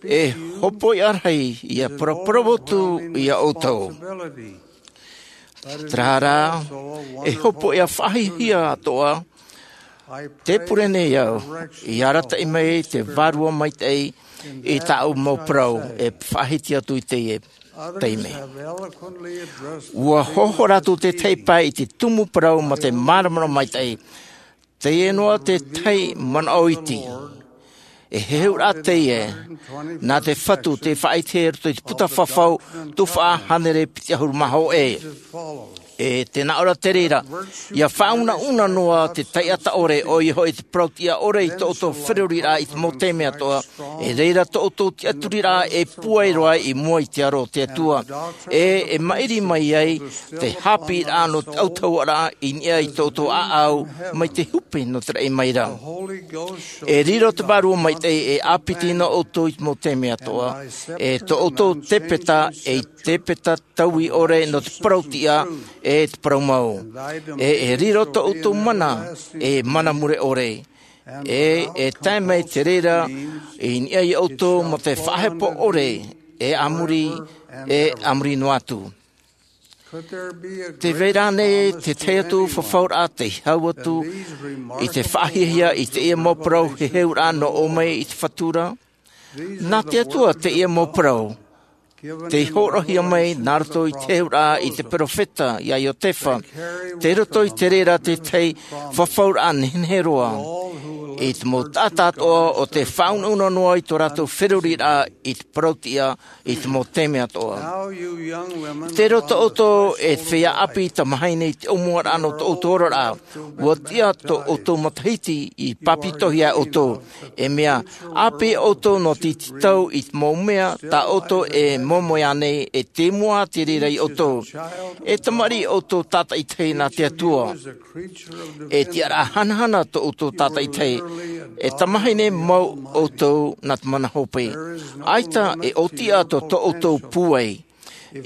E hopoiʻa rahi ia paraparau atu ia ʻoutou. Terā rā, e hopoiʻa faʻahiahia atoʻa, tē pure nei au, i arataʻi mai te Vārua Maitaʻi i tāʻu mau parau e faʻahiti atu i teie taime. Ua hoʻo rātou tētahi pae i te tumu parau mā te māramarama maitaʻi. Teie noa te tahi manaʻo iti. E heheuraʻa teie, nā te Fatu tei faʻaʻite i roto i te puta fafau, tuhaʻa hānere piti ʻahuru mā hōʻē. E tē nā ʻō ra te reira, ia faʻaunauna noa te taʻata ʻore, ʻoia hoʻi te parautiʻa ʻore i tō ʻoutou feruriraʻa i te mau taime atoʻa, e reira tō ʻoutou tiʻaturiraʻa e pūai roa i mua i te aro o te Atua. E, e maʻiri mai ai te haʻapiʻiraʻa nō te autahuʻaraʻa i niʻa i tō ʻoutou ʻāʻau mai te hupe nō te raʻi mai ra. E riro te Vārua Maitaʻi e ʻāpiti nō ʻoutou i te mau taime atoʻa, e tō ʻoutou tepeta, e tepeta taui ʻore nō te parautiʻa, e te parau mau. E, e riro tō ʻoutou mana, e mana mure ʻore. E, e tae mai te reira, i niʻa ia ʻoutou mō te faʻahepo ʻore, e a muri, e a muri noa atu. Tē vai ra ānei te tahi atu fafauraʻa tei hau atu i te faʻahiahia i teie mau parau heheuraʻa nō ʻō mai i te Fatu ra? Nā te Atua teie mau parau. Tei hōroʻahia mai nā roto i te heheuraʻa i te perofeta ia Iotefa, tei roto i te reira tētahi fafauraʻa nehenehe roa. I te mau taʻata atoʻa o tē faʻaunauna noa i tō rātou feruriraʻa i te parautiʻa i te mau taime atoʻa. Tei roto ʻoutou e feiā ʻāpī tamāhine i te ʻōmuaraʻa nō tō ʻoutou oraraʻa. Ua tiʻa tō ʻoutou matahiti i pāpetitohia e ʻoutou. E mea ʻāpī ʻoutou nō te iti tau i te mau mea tā ʻoutou e moemoeā nei e tē mua te reira ia ʻoutou. E tamariʻi ʻoutou tātaʻitahi nā te Atua. E tiʻaraʻa hanahana tō ʻoutou tātaʻitahi. E tamāhine mau ʻoutou nā te mana hope. ʻAita e ʻōtiʻa tō tō ʻoutou pūai.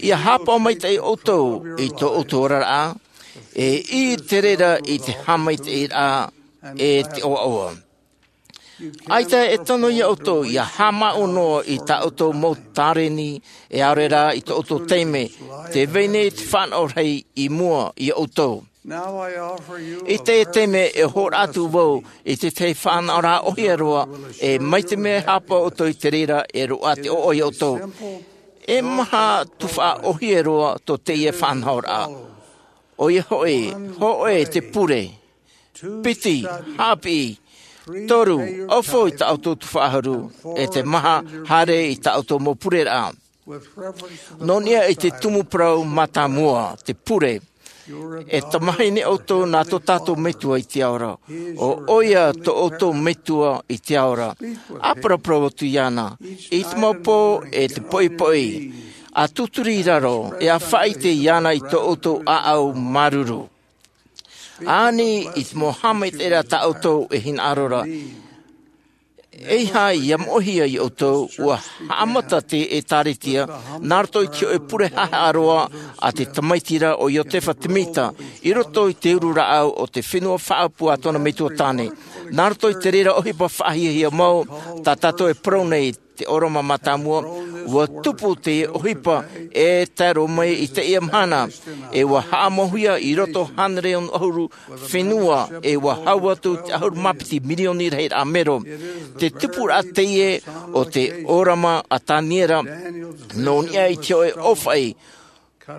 Ia haʻapaʻo maitaʻi ʻoutou i tō ʻoutou oraraʻa, e ʻī te reira i te haʻamaitaʻiraʻa e te ʻoaʻoa. ʻAita e tono ia ʻoutou ia haʻamāuʻu noa i tā ʻoutou mau tāreni e ʻaore rā i tō ʻoutou taime, tē vai nei te fānaʻo rahi i mua ia ʻoutou. I teie taime e hōroʻa atu vau i te tahi faʻanahoraʻa ʻōhie roa, e mai te mea e haʻapaʻo ʻoutou i te reira e roaʻa te ʻoaʻoa ia ʻoutou. E maha tuhaʻa ʻōhie roa tō teie faʻanahoraʻa. ʻOia hoʻi, hōʻē te pure. Piti, haʻapiʻi. Toru, ʻaufau i tā ʻoutou tuhaʻa ʻahuru, e te maha, haere i tā ʻoutou mau pureraʻa. Nō niʻa i te tumu parau mātāmua, te pure. E tamāhine ʻoutou nā tō tātou Metua i te ao ra. ʻO ʻoia tō ʻoutou Metua i te ao ra. ʻA paraparau atu iāna i te mau pō e te poʻipoʻi. ʻA tūturi i raro, e ʻa faʻaʻite iāna i tō ʻoutou ʻāʻau māuruuru. ʻA ani i te mau haʻamaitaʻiraʻa tā ʻoutou e hinaʻaro ra. ʻEiaha ia moʻehia ia ʻoutou, ua haʻamata te ʻēkālesia nā roto i te hoʻe pure haʻehaʻa roa a te tamaiti ra ʻo Iotefa Temita, i roto i te uru rāʻau o te fenua faʻaʻapu a tōna metua tāne. Nā roto i te reira ʻohipa faʻahiahia mau, tā tātou e parau nei, te ʻōrama mātāmua, ua tupu te ʻohipa e tae roa mai i teie mahana, e ua haʻamauhia i roto hānere ono ʻahuru fenua, e ua hau atu te ʻahuru mā piti mirioni rahiraʻa mero. Te tupuraʻa teie o te ʻōrama a Taniera, nō niʻa i te hoʻe ʻōfaʻi,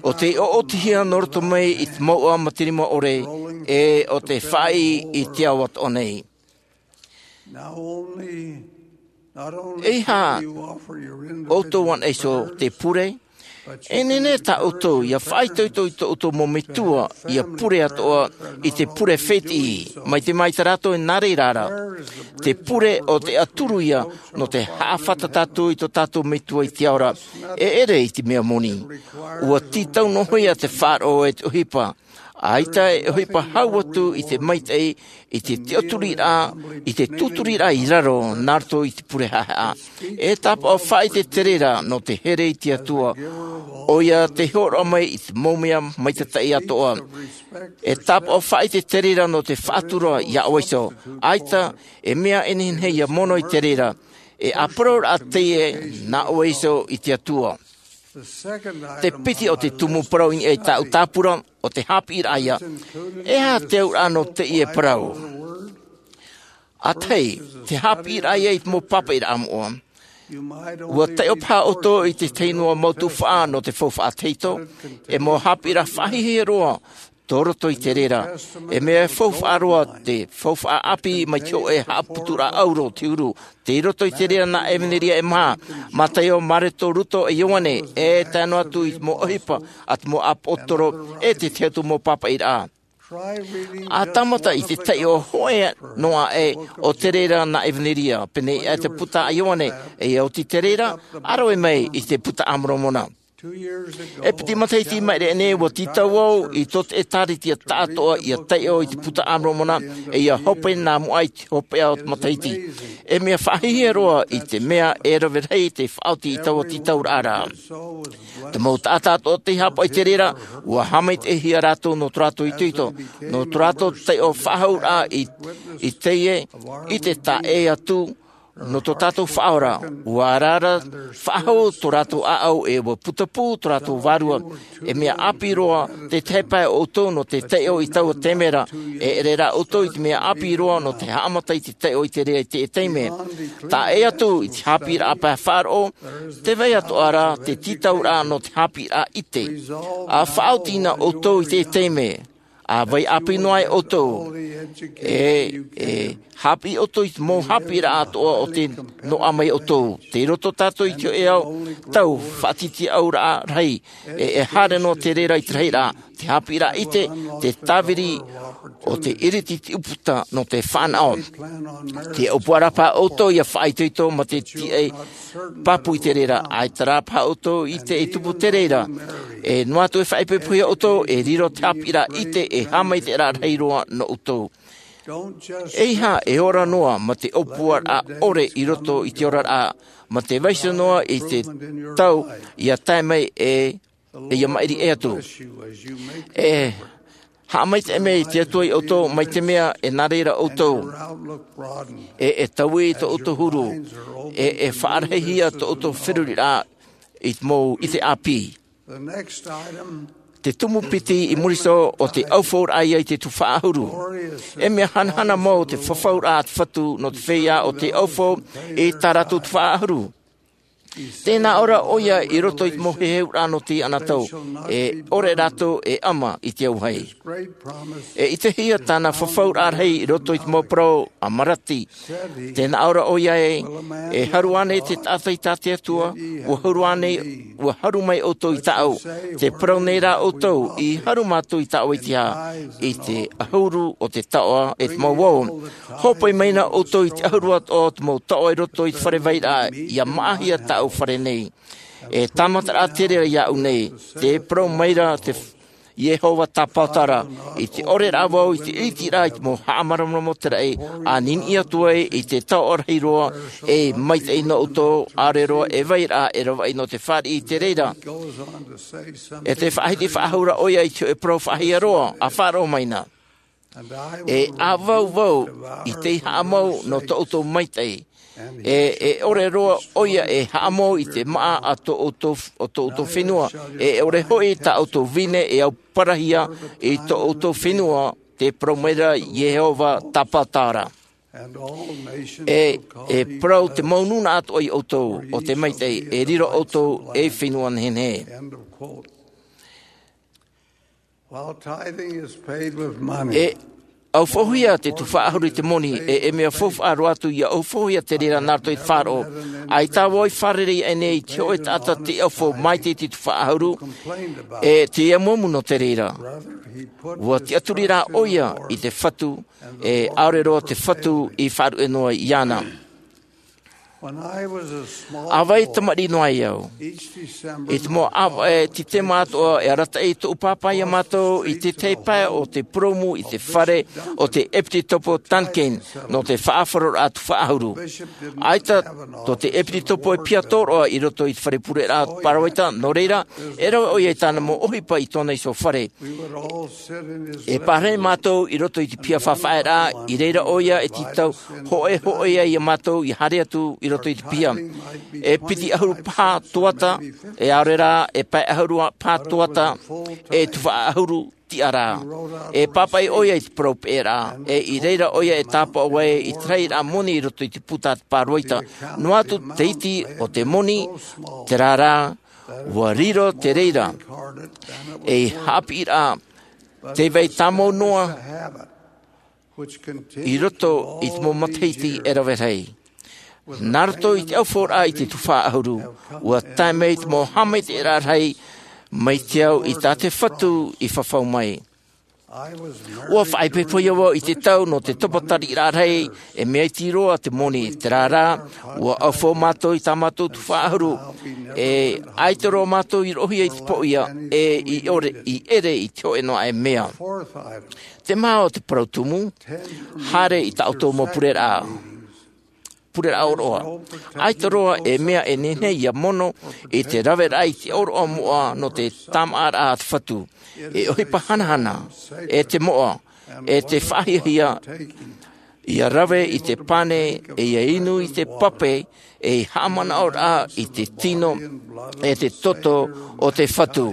ʻo tei ʻoʻotihia nō roto mai i te mouʻa ma te rima ʻore, e ʻo te faʻaʻī i te ao atoʻa nei. ʻEiaha ʻoutou anaʻe iho te pure, e nehenehe tā ʻoutou ia faʻaitoito i tō ʻoutou mau metua ia pure atoʻa i te pure fētiʻi, mai te mea tā rātou e nā reira ra. Te pure ʻo te ʻaturu ia nō te haʻafata tātou i tō tātou metua i te ao ra, e ʻere i te mea moni. Ua tītau noa ia te faʻaroʻo e te ʻohipa. ʻAita e ʻohipa hau atu i te maitaʻi, i te tiʻaturiraʻa, i te tūturiraʻa i raro nā roto i te pure haʻehaʻa. E tāpaʻo faʻaʻite te reira nō te here i te Atua, ʻoia tei hōroʻa mai i te mau mea maitataʻi atoʻa. E tāpaʻo faʻaʻite te reira nō te faʻatura iā ʻoe iho. ʻAita e mea e nehenehe ia mono i te reira. E ʻāparauraʻa teie nā ʻoe iho i te Atua. Te piti o te tumu parau i niʻa i tāʻu tāpura, ʻo te haʻapiʻiraʻa ia. E aha te auraʻa nō teie parau? ʻA tahi, te haʻapiʻiraʻa ia i te mau pāpaʻiraʻa moʻa. Ua taiʻo paha ʻoutou i te tahi noa mau tuhaʻa nō te faufaʻa tahito, e mau haʻapiʻiraʻa faʻahiahia roa tō roto i te reira. E mea faufaʻa roa te faufaʻa ʻāpī mai te hōʻē haʻaputuraʻa ʻauro o te uru, tei roto i te reira nā ʻEvaneria e maha, Mataio, Mareko, Ruka, e Ioane, e tae noa atu i te mau ʻohipa a te mau ʻāpōsetolo, e te tahi atu mau pāpaʻiraʻa. ʻA tāmata i te taiʻo hōʻē noa aʻe o te reira nā ʻEvaneria, pēnei aʻe te puta a Ioane, e ʻia oti te reira, ʻa rave mai i te Buka a Moromona. E piti matahiti i maʻiri aʻe nei, ua tītau au i tō te ʻēkālesia taʻatoʻa ʻia taiʻo i te Buka a Moromona, e ʻia hope nā mua i te hopeʻa o te matahiti. E mea faʻahiahia roa i te mea e rave rahi te faʻaoti i taua tītauraʻa ra. Te mau taʻata atoʻa tei haʻapaʻo i te reira, ua haʻamaitaʻihia rātou nō tō rātou itoito, nō tō rātou taiʻo faʻahouraʻa i, i teie, i te taʻa ʻē atu, nō tō tātou Faʻaora, ua ara faʻahou tō rātou ʻāʻau e ua putapū tō rātou vārua. E mea ʻāpī roa te tahi pae o ʻoutou nō te taiʻo i taua taime ra, e ʻere rā ʻoutou i te mea ʻāpī roa nō te haʻamata i te taiʻo i te reira i teie taime. Taʻa ʻē atu i te haʻapiʻiraʻa pae faʻaroʻo, tē vai atoʻa ra te tītauraʻa nō te haʻapiʻiraʻa ʻite. ʻA faʻaoti na ʻoutou i teie taime. ʻA vai ʻāpī noa ai ʻoutou. E, e, haʻapiʻi ʻoutou i te mau haʻapiʻiraʻa atoʻa o tē noaʻa mai ʻoutou. Tei roto tātou i te hōʻē tau faʻatītīʻauraʻa rahi. E, e haere noa te reira i te rahiraʻa, te haʻapiʻiraʻa ʻite, te tāviri o te ʻiriti i te ʻūputa nō te fānaʻo. Tē ʻōpua ra paha ʻoutou ʻia faʻaitoito mā te tiaʻi pāpū i te reira, ʻaita rā paha ʻoutou i te, e tupu te reira. E noa atu e faʻaipoipohia ʻoutou, e riro te haʻapiʻiraʻa ʻite, e haʻamaitaʻiraʻa rahi roa nō ʻoutou. ʻEiaha e ora noa mā te ʻōpuaraʻa ʻore i roto i te oraraʻa, mā te vaiiho noa i te tau ʻia tae mai e, e ʻia maʻiri ʻē atu. E haʻamaitaʻi mai te Atua ia ʻoutou, mai te mea e nā reira ʻoutou. E, e taui tō ʻoutou huru, e, e faʻarahihia tō ʻoutou feruriraʻa i te mau ʻite ʻāpī. Te tumu piti i muri iho ʻo te ʻaufauraʻa ia i te tuhaʻa ʻahuru. E mea hanahana mau te fafauraʻa a te Fatu nō te feiā o te ʻaufau i tā rātou tuhaʻa ʻahuru. Tē nā ʻō ra ʻoia i roto i te mau heheuraʻa nō teie anotau, e ʻore rātou e ʻama i te auahi. E ʻitehia tāna fafauraʻa rahi i roto i te mau parau a Malaki. Tē nā ʻō ra ʻoia ē, e haru ānei te taʻata i tā te Atua, ua haru ānei, ua haru mai ʻoutou i tāʻu. Tē parau nei rā ʻoutou, i haru mātou i tāʻu i te aha, i te ʻahuru o te taoʻa e te mau ao. Hōpoi mai na ʻoutou i te ʻahuru atoʻa o te mau taoʻa i roto i te fare vairaʻa, ʻia māʻahia tāʻu fare nei. E tāmataraʻa te reira iāʻu nei, tē parau mai ra te f-, Iehova Tāpaotara, i te ʻore rā vau i te ʻiteraʻa i te mau haʻamāramarama o te raʻi, ʻa niniʻi atu ai i te taoʻa rahi roa, e maitaʻi nō ʻoutou, ʻaore roa e vai ra e ravaʻi nō te fāriʻi i te reira. E te faʻahiti faʻahou ra ʻoia i te hōʻē parau faʻahiaroa, ʻa faʻaroʻo mai na. E ʻa vau vau i tei haʻamau nō tō ʻoutou maitaʻi. E, e ʻore roa ʻoia e haʻamau i te māʻa a tō ʻoutou, o tō ʻoutou fenua. E ʻore hoʻi tā ʻoutou vine e au parahia i tō ʻoutou fenua, tē parau mai ra Iehova Tāpaotara. E, e parau te mau nūnaʻa atoʻa ia ʻoutou, o te maitaʻi, e riro ʻoutou ei fenua nehenehe. While tithing is paid with money, E ʻaufaʻauhia te tuhaʻa ʻahuru i te moni, e, e mea faufaʻa roa atu ia ʻaufaʻauhia te reira nā roto i te faʻaroʻo. ʻAita vau i fārerei aʻe nei i te hōʻē taʻata tei ʻaufaʻa maitaʻi i te tuhaʻa ʻahuru, e tei amuamu nō te reira. Ua tiʻaturi rā ʻoia i te Fatu, e ʻaore roa te Fatu i faʻaruʻe noa iāna. When I was a small ʻA vai boy, tamariʻi noa ai au. Each December, I te mau ʻāvaʻe Tītema atoʻa, e arataʻi tōʻu pāpā ia mātou i te tahi pae o te purōmu i te fare o te ʻEpitopo Duncan, nō te faʻaroʻoraʻa tuhaʻa ʻahuru. ʻAita tō te ʻEpitopo e piha tōroʻa i roto i te fare pureraʻa Parawaita, nō reira, e rave ʻoia i tāna mau ʻohipa i tōna iho fare. E pārahi mātou i roto i te piha faʻafaʻaraʻa, i reira ʻoia e tītau hōʻē hōʻē ai ia mātou i haere atu i roto i te piha. E piti ʻahuru paha tuata, e ʻaore rā, e pae ʻahuru paha tuata, e tuhaʻa ʻahuru tiʻa ra. E pāpaʻi ʻoia i te parau peʻeraʻa, e i reira ʻoia e tāpaʻo ai i te rahiraʻa moni i roto i te puta a te Parawaita. Noa atu te iti o te moni, terā rā, ua riro te reira. E haʻapiʻiraʻa, tē vai tāmau noa i roto i te mau matahiti e rave rahi. Nā roto i te ʻaufaʻauraʻa i te tuhaʻa ʻahuru, ua tae mai te mau haʻamaitaʻiraʻa rahi mai te ao i tā te Fatu i fafau mai. Ua faʻaipoipo vau i te tau nō te tapatariʻiraʻa rahi, e mea iti roa te moni, terā rā, ua ʻaufaʻa mātou i tā mātou tuhaʻa ʻahuru, e ʻaita roa mātou i roʻohia i te pōʻia, e i ʻore, i ʻere i te hōʻē noa e mea. Te maha o te parau tumu, haere i tā ʻoutou mau pureraʻa. Pureraʻa ʻōroʻa. ʻAita roa e mea e nehenehe ia mono i te raveraʻa i te ʻōroʻa moʻa nō te tāmāʻaraʻa a te Fatu. E ʻohipa hanahana, e te moʻa, e te faʻahiahia, ia rave i te pane, e ia inu i te pape, e haʻamanaʻoraʻa i te tino, e te toto o te Fatu.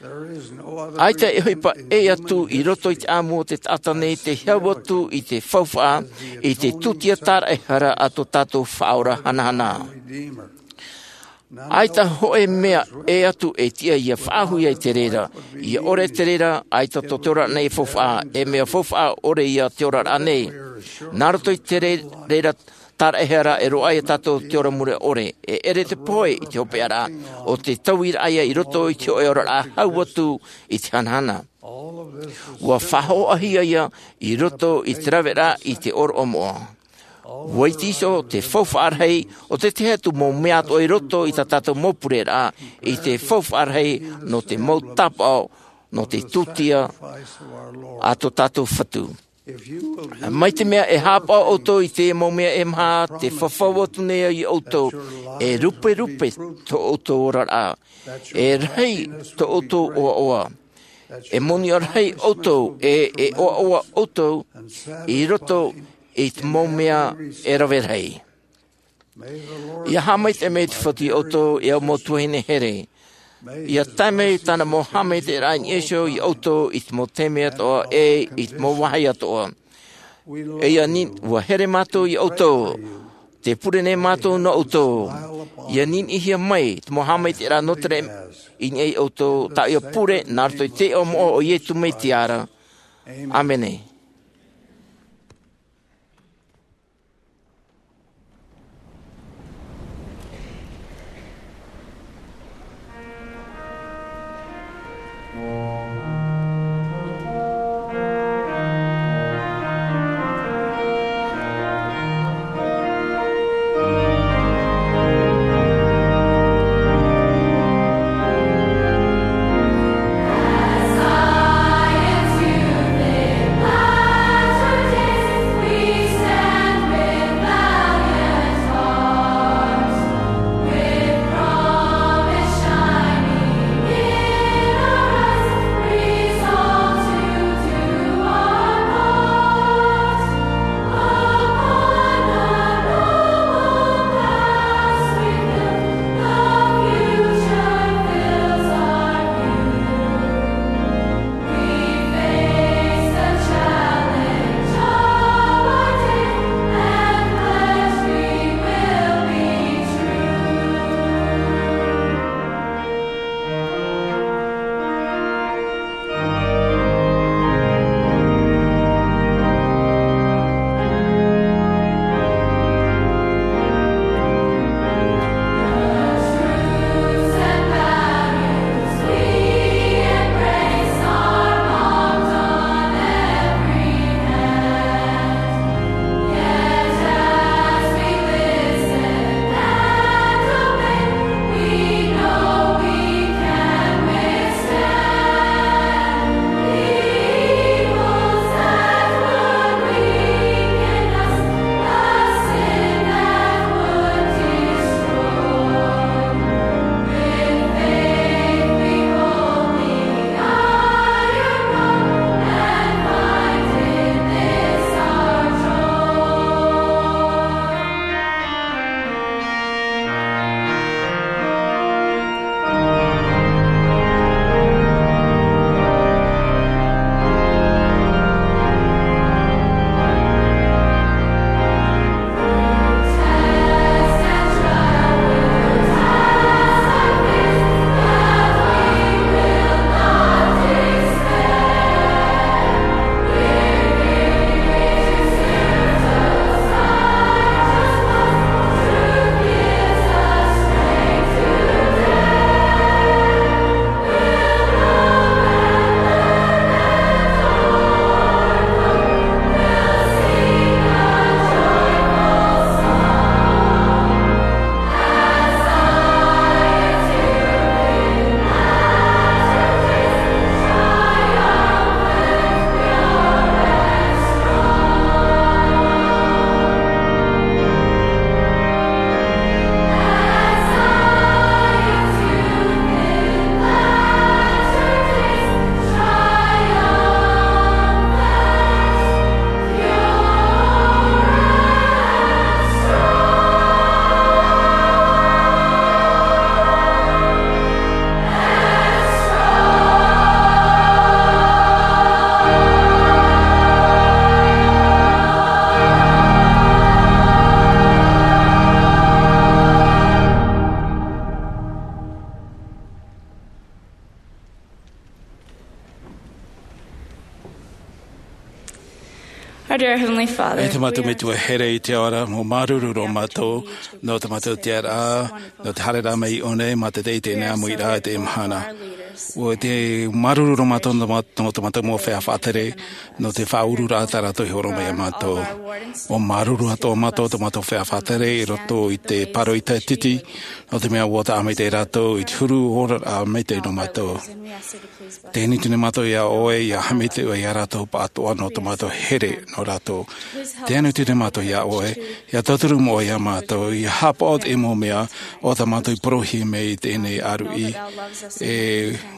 ʻAita e ʻohipa ʻē atu i roto i te ʻāmui o te taʻata nei tei hau atu i te faufaʻa, i te tūtia tāraʻehara a tō tātou Faʻaora hanahana. ʻAita hōʻē mea ʻē atu e tiʻa ia faʻahuʻi ai te reira, ia ʻore te reira, ʻaita tō te oraraʻa nei e faufaʻa, e mea faufaʻa ʻore ia te oraraʻa nei. Nā roto i te re-, reira tāraʻehara e roaʻa ia tātou te ora mure ʻore, e ʻere te pohe i te hopeʻaraʻa, ʻo te tauiraʻa ia i roto i te hōʻē oraraʻa hau atu i te hanahana. Ua faʻahoʻahia ia i roto i te raveraʻa i te ʻōroʻa moʻa. Ua iti iho te faufaʻa rahi, ʻo te tahi atu mau mea atoʻa i roto i tā tātou mau pureraʻa, i te faufaʻa rahi nō te mau tāpaʻo, nō te tūtia a tō tātou Fatu. Mai te mea e haʻapaʻo ʻoutou i te mau mea e maha, tē fafau atu nei au ia ʻoutou, e ruperupe tō ʻoutou oraraʻa, e rahi tō ʻoutou ʻoaʻoa, e moni rahi ʻoutou, e, e ʻoaʻoa ʻoutou, i roto i te mau mea e rave rahi. Ia haʻamaitaʻi mai te Fatu ia ʻoutou, e au mau tuahine here. Ia tae mai tāna mau haʻamaitaʻiraʻa i niʻa iho ia ʻoutou i te mau taime atoʻa, e i te mau vāhi atoʻa. E ia ni-, ua here mātou ia ʻoutou. Tē pure nei mātou nō ʻoutou. Ia niniʻihia mai te mau haʻamaitaʻiraʻa nō te reira i niʻa ia ʻoutou, tā ʻoia pure, nā roto i te iʻoa moʻa o Iesu Mesia ra. ʻĀmene. Our dear Heavenly Father, e te mātou metua here i te ao ra, mau māuruuru roa mātou nō te mātou tiʻaraʻa, nō te haereraʻa mai i ʻō nei mā te teitei nei ʻāmuiraʻa i teie mahana. ʻUa māuruuru roa mātou nō te mātou mau feiā faʻatere, nō te faʻaururaʻa tā rātou i hōroʻa mai iā mātou. ʻUa māuruuru atoʻa mātou tō mātou feiā faʻatere i roto i te pāroita titi, nō te mea ʻua taʻa maitaʻi rātou i te huru oraraʻa maitaʻi nō mātou. Tē nui atu nei mātou iā ʻoe, ʻia haʻamaitaʻi ʻoe iā rātou pāʻatoʻa nō tō mātou here nō rātou. Tē nui atu nei mātou iā ʻoe, ʻia tauturu mai ʻoe iā mātou, ʻia haʻapaʻo i te mau mea o tā mātou i parauhia mai i teie nei ʻāruʻi. E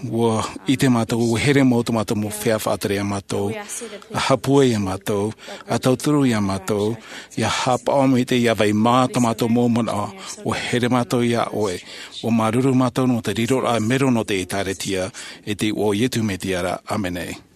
ʻua ʻite mātou, ʻua here mau tō mātou mau feiā faʻatere iā mātou, ʻa haʻapūai iā mātou, ʻa tauturu iā mātou, ʻia haʻapaʻo mai te, ʻia vai mā tō mātou mau manaʻo. ʻUa here mātou iā ʻoe. ʻUa māuruuru mātou nō te riroraʻa mero nō te ʻĒtārētia, i te iʻoa o Iesu Mesia ra. ʻĀmene.